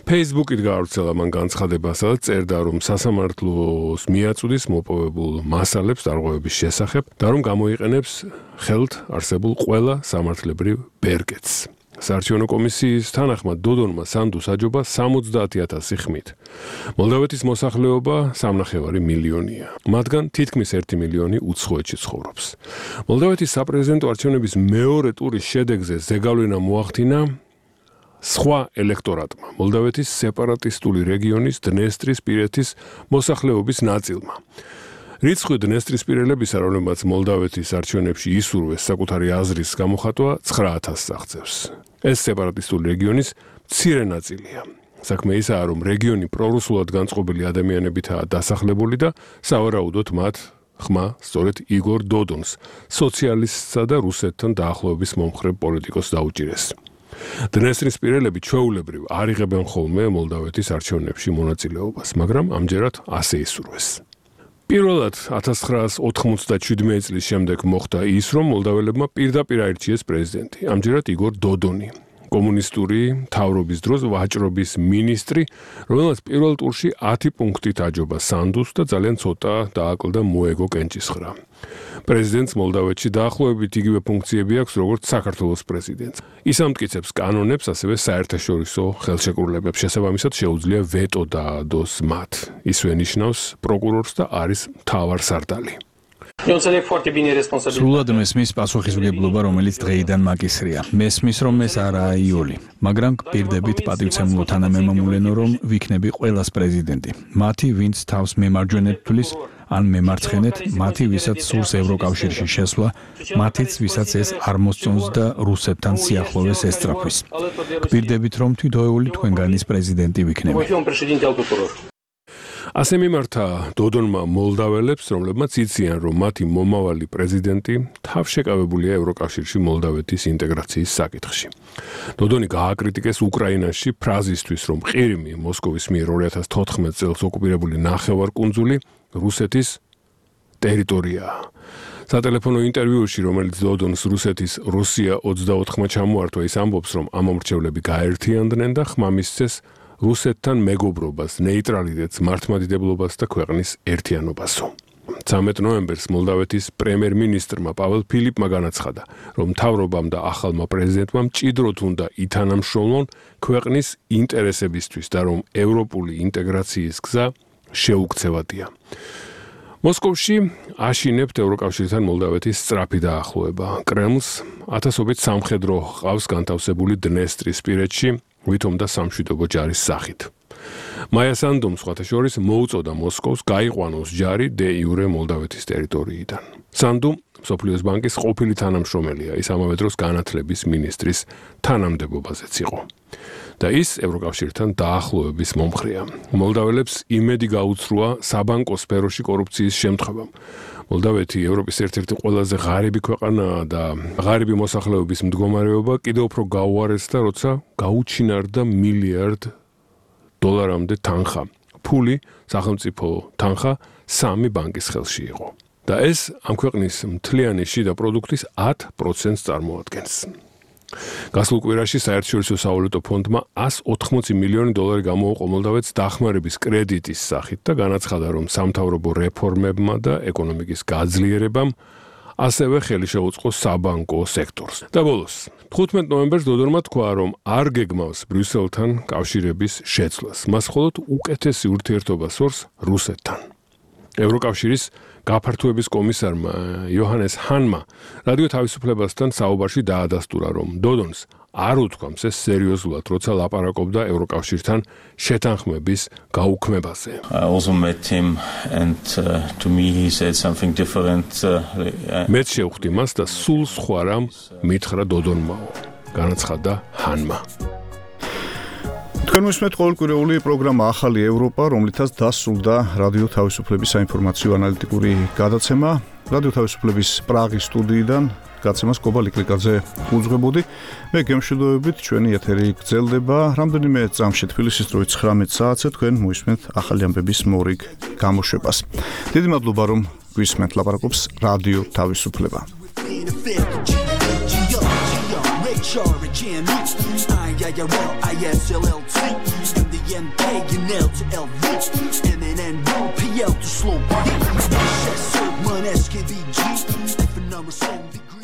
Facebook-ით გაავრცელა მან განცხადება, სადაც წერდა, რომ სასამართლოს მიაწვდის მოპოვებულ მასალებს დარღვევების შესახებ და რომ გამოიყენებს ხელთ არსებულ ყველა სამართლებრივ ბერკეტს. საარჩევნო კომისიის თანახმად დოდონმა სანდუს აჯობა 70,000 ხმით. მოლდავეთის მოსახლეობა 3,5 მილიონია. მათგან თითქმის 1 მილიონი უცხოეთში ცხოვრობს. მოლდავეთის საპრეზიდენტო არჩევნების მეორე ტურის შედეგზე ზეგავლენა მოახდინა სხვა ელექტორატმა, მოლდავეთის სეპარატისტული რეგიონის დნესტრისპირეთის მოსახლეობის ნაწილმა. რიცხვი დნესტრისპირელებისა, რომლებმაც მოლდავეთის არჩევნებში ისურვეს საკუთარი აზრის გამოხატვა 9,000 აღწევს. ეს სეპარატისტული რეგიონის მცირე ნაწილია. საქმე ისაა, რომ რეგიონი პრორუსულად განწყობილი ადამიანებითაა დასახლებული და სავარაუდოდ მათ ხმა სწორედ იგორ დოდონს, სოციალისტსა და რუსეთთან დაახლოების მომხრე პოლიტიკოსს დაუჭირეს. დნესტრისპირელები ჩვეულებრივ არ იღებენ ხოლმე მოლდავეთის არჩევნებში მონაწილეობას, მაგრამ ამჯერად ასე ისურვეს. პირველად 1997 წლის შემდეგ მოხდა ის, რომ მოლდაველებმა პირდაპირ აირჩიეს პრეზიდენტი, ამჯერად იგორ დოდონი, კომუნისტური მთავრობის დროს ვაჭრობის მინისტრი, რომელსაც პირველ ტურში 10 პუნქტით აჯობა სანდუს და ძალიან ცოტა დააკლდა მოეგო კენჭისყრა. პრეზიდენტს მოლდავეთში დაახლოებით იგივე ფუნქციები აქვს, როგორც საქართველოს პრეზიდენტს. ის ამტკიცებს კანონებს, ასევე საერთაშორისო ხელშეკრულებებს, შესაბამისად შეუძლია ვეტო დაადოს მათ. ისვე ნიშნავს პროკურორს და არის მთავარსარდალი. სრულად მესმის პასუხისმგებლობა, რომელიც დღეიდან მაგისრია. მესმის, რომ ეს არაა იული, მაგრამ გპირდებით პატივცემულო თანამემამულენო, რომ ვიქნები ყველას პრეზიდენტი. მათი, ვინც თავს მემარჯვენედ თვლის, ან მემარცხენეთ, მათი, ვისაც სურს ევროკავშირში შესვლა, მათიც, ვისაც ეს არ მოსწონს და რუსეთთან სიახლოვეს ესწრაფვის. გპირდებით, რომ თვითოეული თქვენგანის პრეზიდენტი ვიქნები. ასე მიმართა დოდონმა მოლდაველებს, რომლებმაც იციან, რომ მათი მომავალი პრეზიდენტი თავშეკავებულია ევროკავშირში მოლდავეთის ინტეგრაციის საკითხში. დოდონი გააკრიტიკეს უკრაინაში ფრაზისთვის, რომ ყირიმი მოსკოვის მიერ 2014 წელს ოკუპირებული ნახევარკუნძული რუსეთის ტერიტორიაა. სატელეფონო ინტერვიუში, რომელიც დოდონს რუსეთის რუსია 24-მა ჩამოართვა, ის ამბობს, რომ ამომრჩევლები გაერთიანდნენ და ხმა მისცეს რუსეთთან მეგობრობას, ნეიტრალიტეტს, მართლმადიდებლობას და ქვეყნის ერთიანობასო. 13 ნოემბერს მოლდავეთის პრემიერ-მინისტრმა პაվել ფილიპმა განაცხადა, რომ მთავრობამ და ახალმა პრეზიდენტმა მჭიდროდ უნდა ითანამშრომლონ ქვეყნის ინტერესებისთვის და რომ ევროპული ინტეგრაციის გზა შეუქცევადია. მოსკოვში აშინებთ ევროკავშირთან მოლდავეთის სწრაფი დაახლოება. კრემლს ათასობით სამხედრო ჰყავს განთავსებული დნესტრისპირეთში, ვითომ და სამშვიდობო ჯარის სახით. მაია სანდუმ სხვათა შორის მოუწოდა მოსკოვს გაიყვანოს ჯარი დე იურე მოლდავეთის ტერიტორიიდან. სანდუმ მსოფლიოს ბანკის ყოფილი თანამშრომელია, ის ამავე დროს განათლების მინისტრის თანამდებობაზეც იყო. და ის ევროკავშირთან დაახლოების მომხრეა. მოლდაველებს იმედი გაუცრუა საბანკო სფეროში კორუფციის შემთხვევამ. მოლდავეთი ევროპის ერთ-ერთი ყველაზე ღარიბი ქვეყანაა და ღარიბი მოსახლეობის მდგომარეობა კიდევ უფრო გაუარესდა, როცა გაუჩინარდა $1 მილიარდ თანხა. ფული, სახელმწიფო თანხა 3 ბანკის ხელში იყო. და ეს ამ ქვეყნის მთლიანი შიდა პროდუქტის 10%-ს წარმოადგენს. გასულ კვირაში საერთაშორისო სავალუტო ფონდმა $180 მილიონი გამოუყო მოლდავეთს დახმარების კრედიტის სახით და განაცხადა, რომ სამთავრობო რეფორმებმა და ეკონომიკის გაძლიერებამ ასევე ხელი შეუწყო საბანკო სექტორს. და ბოლოს, 15 ნოემბერს დოდორმა თქვა, რომ არ გეგმავს ბრიუსელთან კავშირების შეცვლას. მას მხოლოდ უკეთესი ურთიერთობა სურს რუსეთთან. ევროკავშირის გაფართოების კომისარმა იოჰანეს ჰანმა რადიო თავისუფლებასთან საუბარში დაადასტურა, რომ დოდონს არ უთქვამს ეს სერიოზულად, როცა ლაპარაკობდა ევროკავშირთან შეთანხმების გაუქმებაზე. I also met him and to me he said something different. მეც შევხვდი მას და სულ სხვა რამ მითხრა დოდონმაო. განაცხადა ჰანმა. თქვენ მისმენთ ყოველკვირეული პროგრამა ახალი ევროპა, რომლითაც დასრულდა რადიო თავისუფლების საინფორმაციო ანალიტიკური გადაცემა. რადიო თავისუფლების პრაღის სტუდიიდან გაცემას კობა ლიკლიკაძე უძღვებოდი. მე გემშვიდობებით, ჩვენი ეთერი გრძელდება. რამდენიმე წამში თბილისის დროით 19 საათზე თქვენ მისმენთ ახალი ამბების მორიგ გამოშვებას. დიდი მადლობა, რომ გვისმენთ, ლაპარაკობს რადიო თავისუფლება. MNN, PL to slow. SKBG, number 7 degree.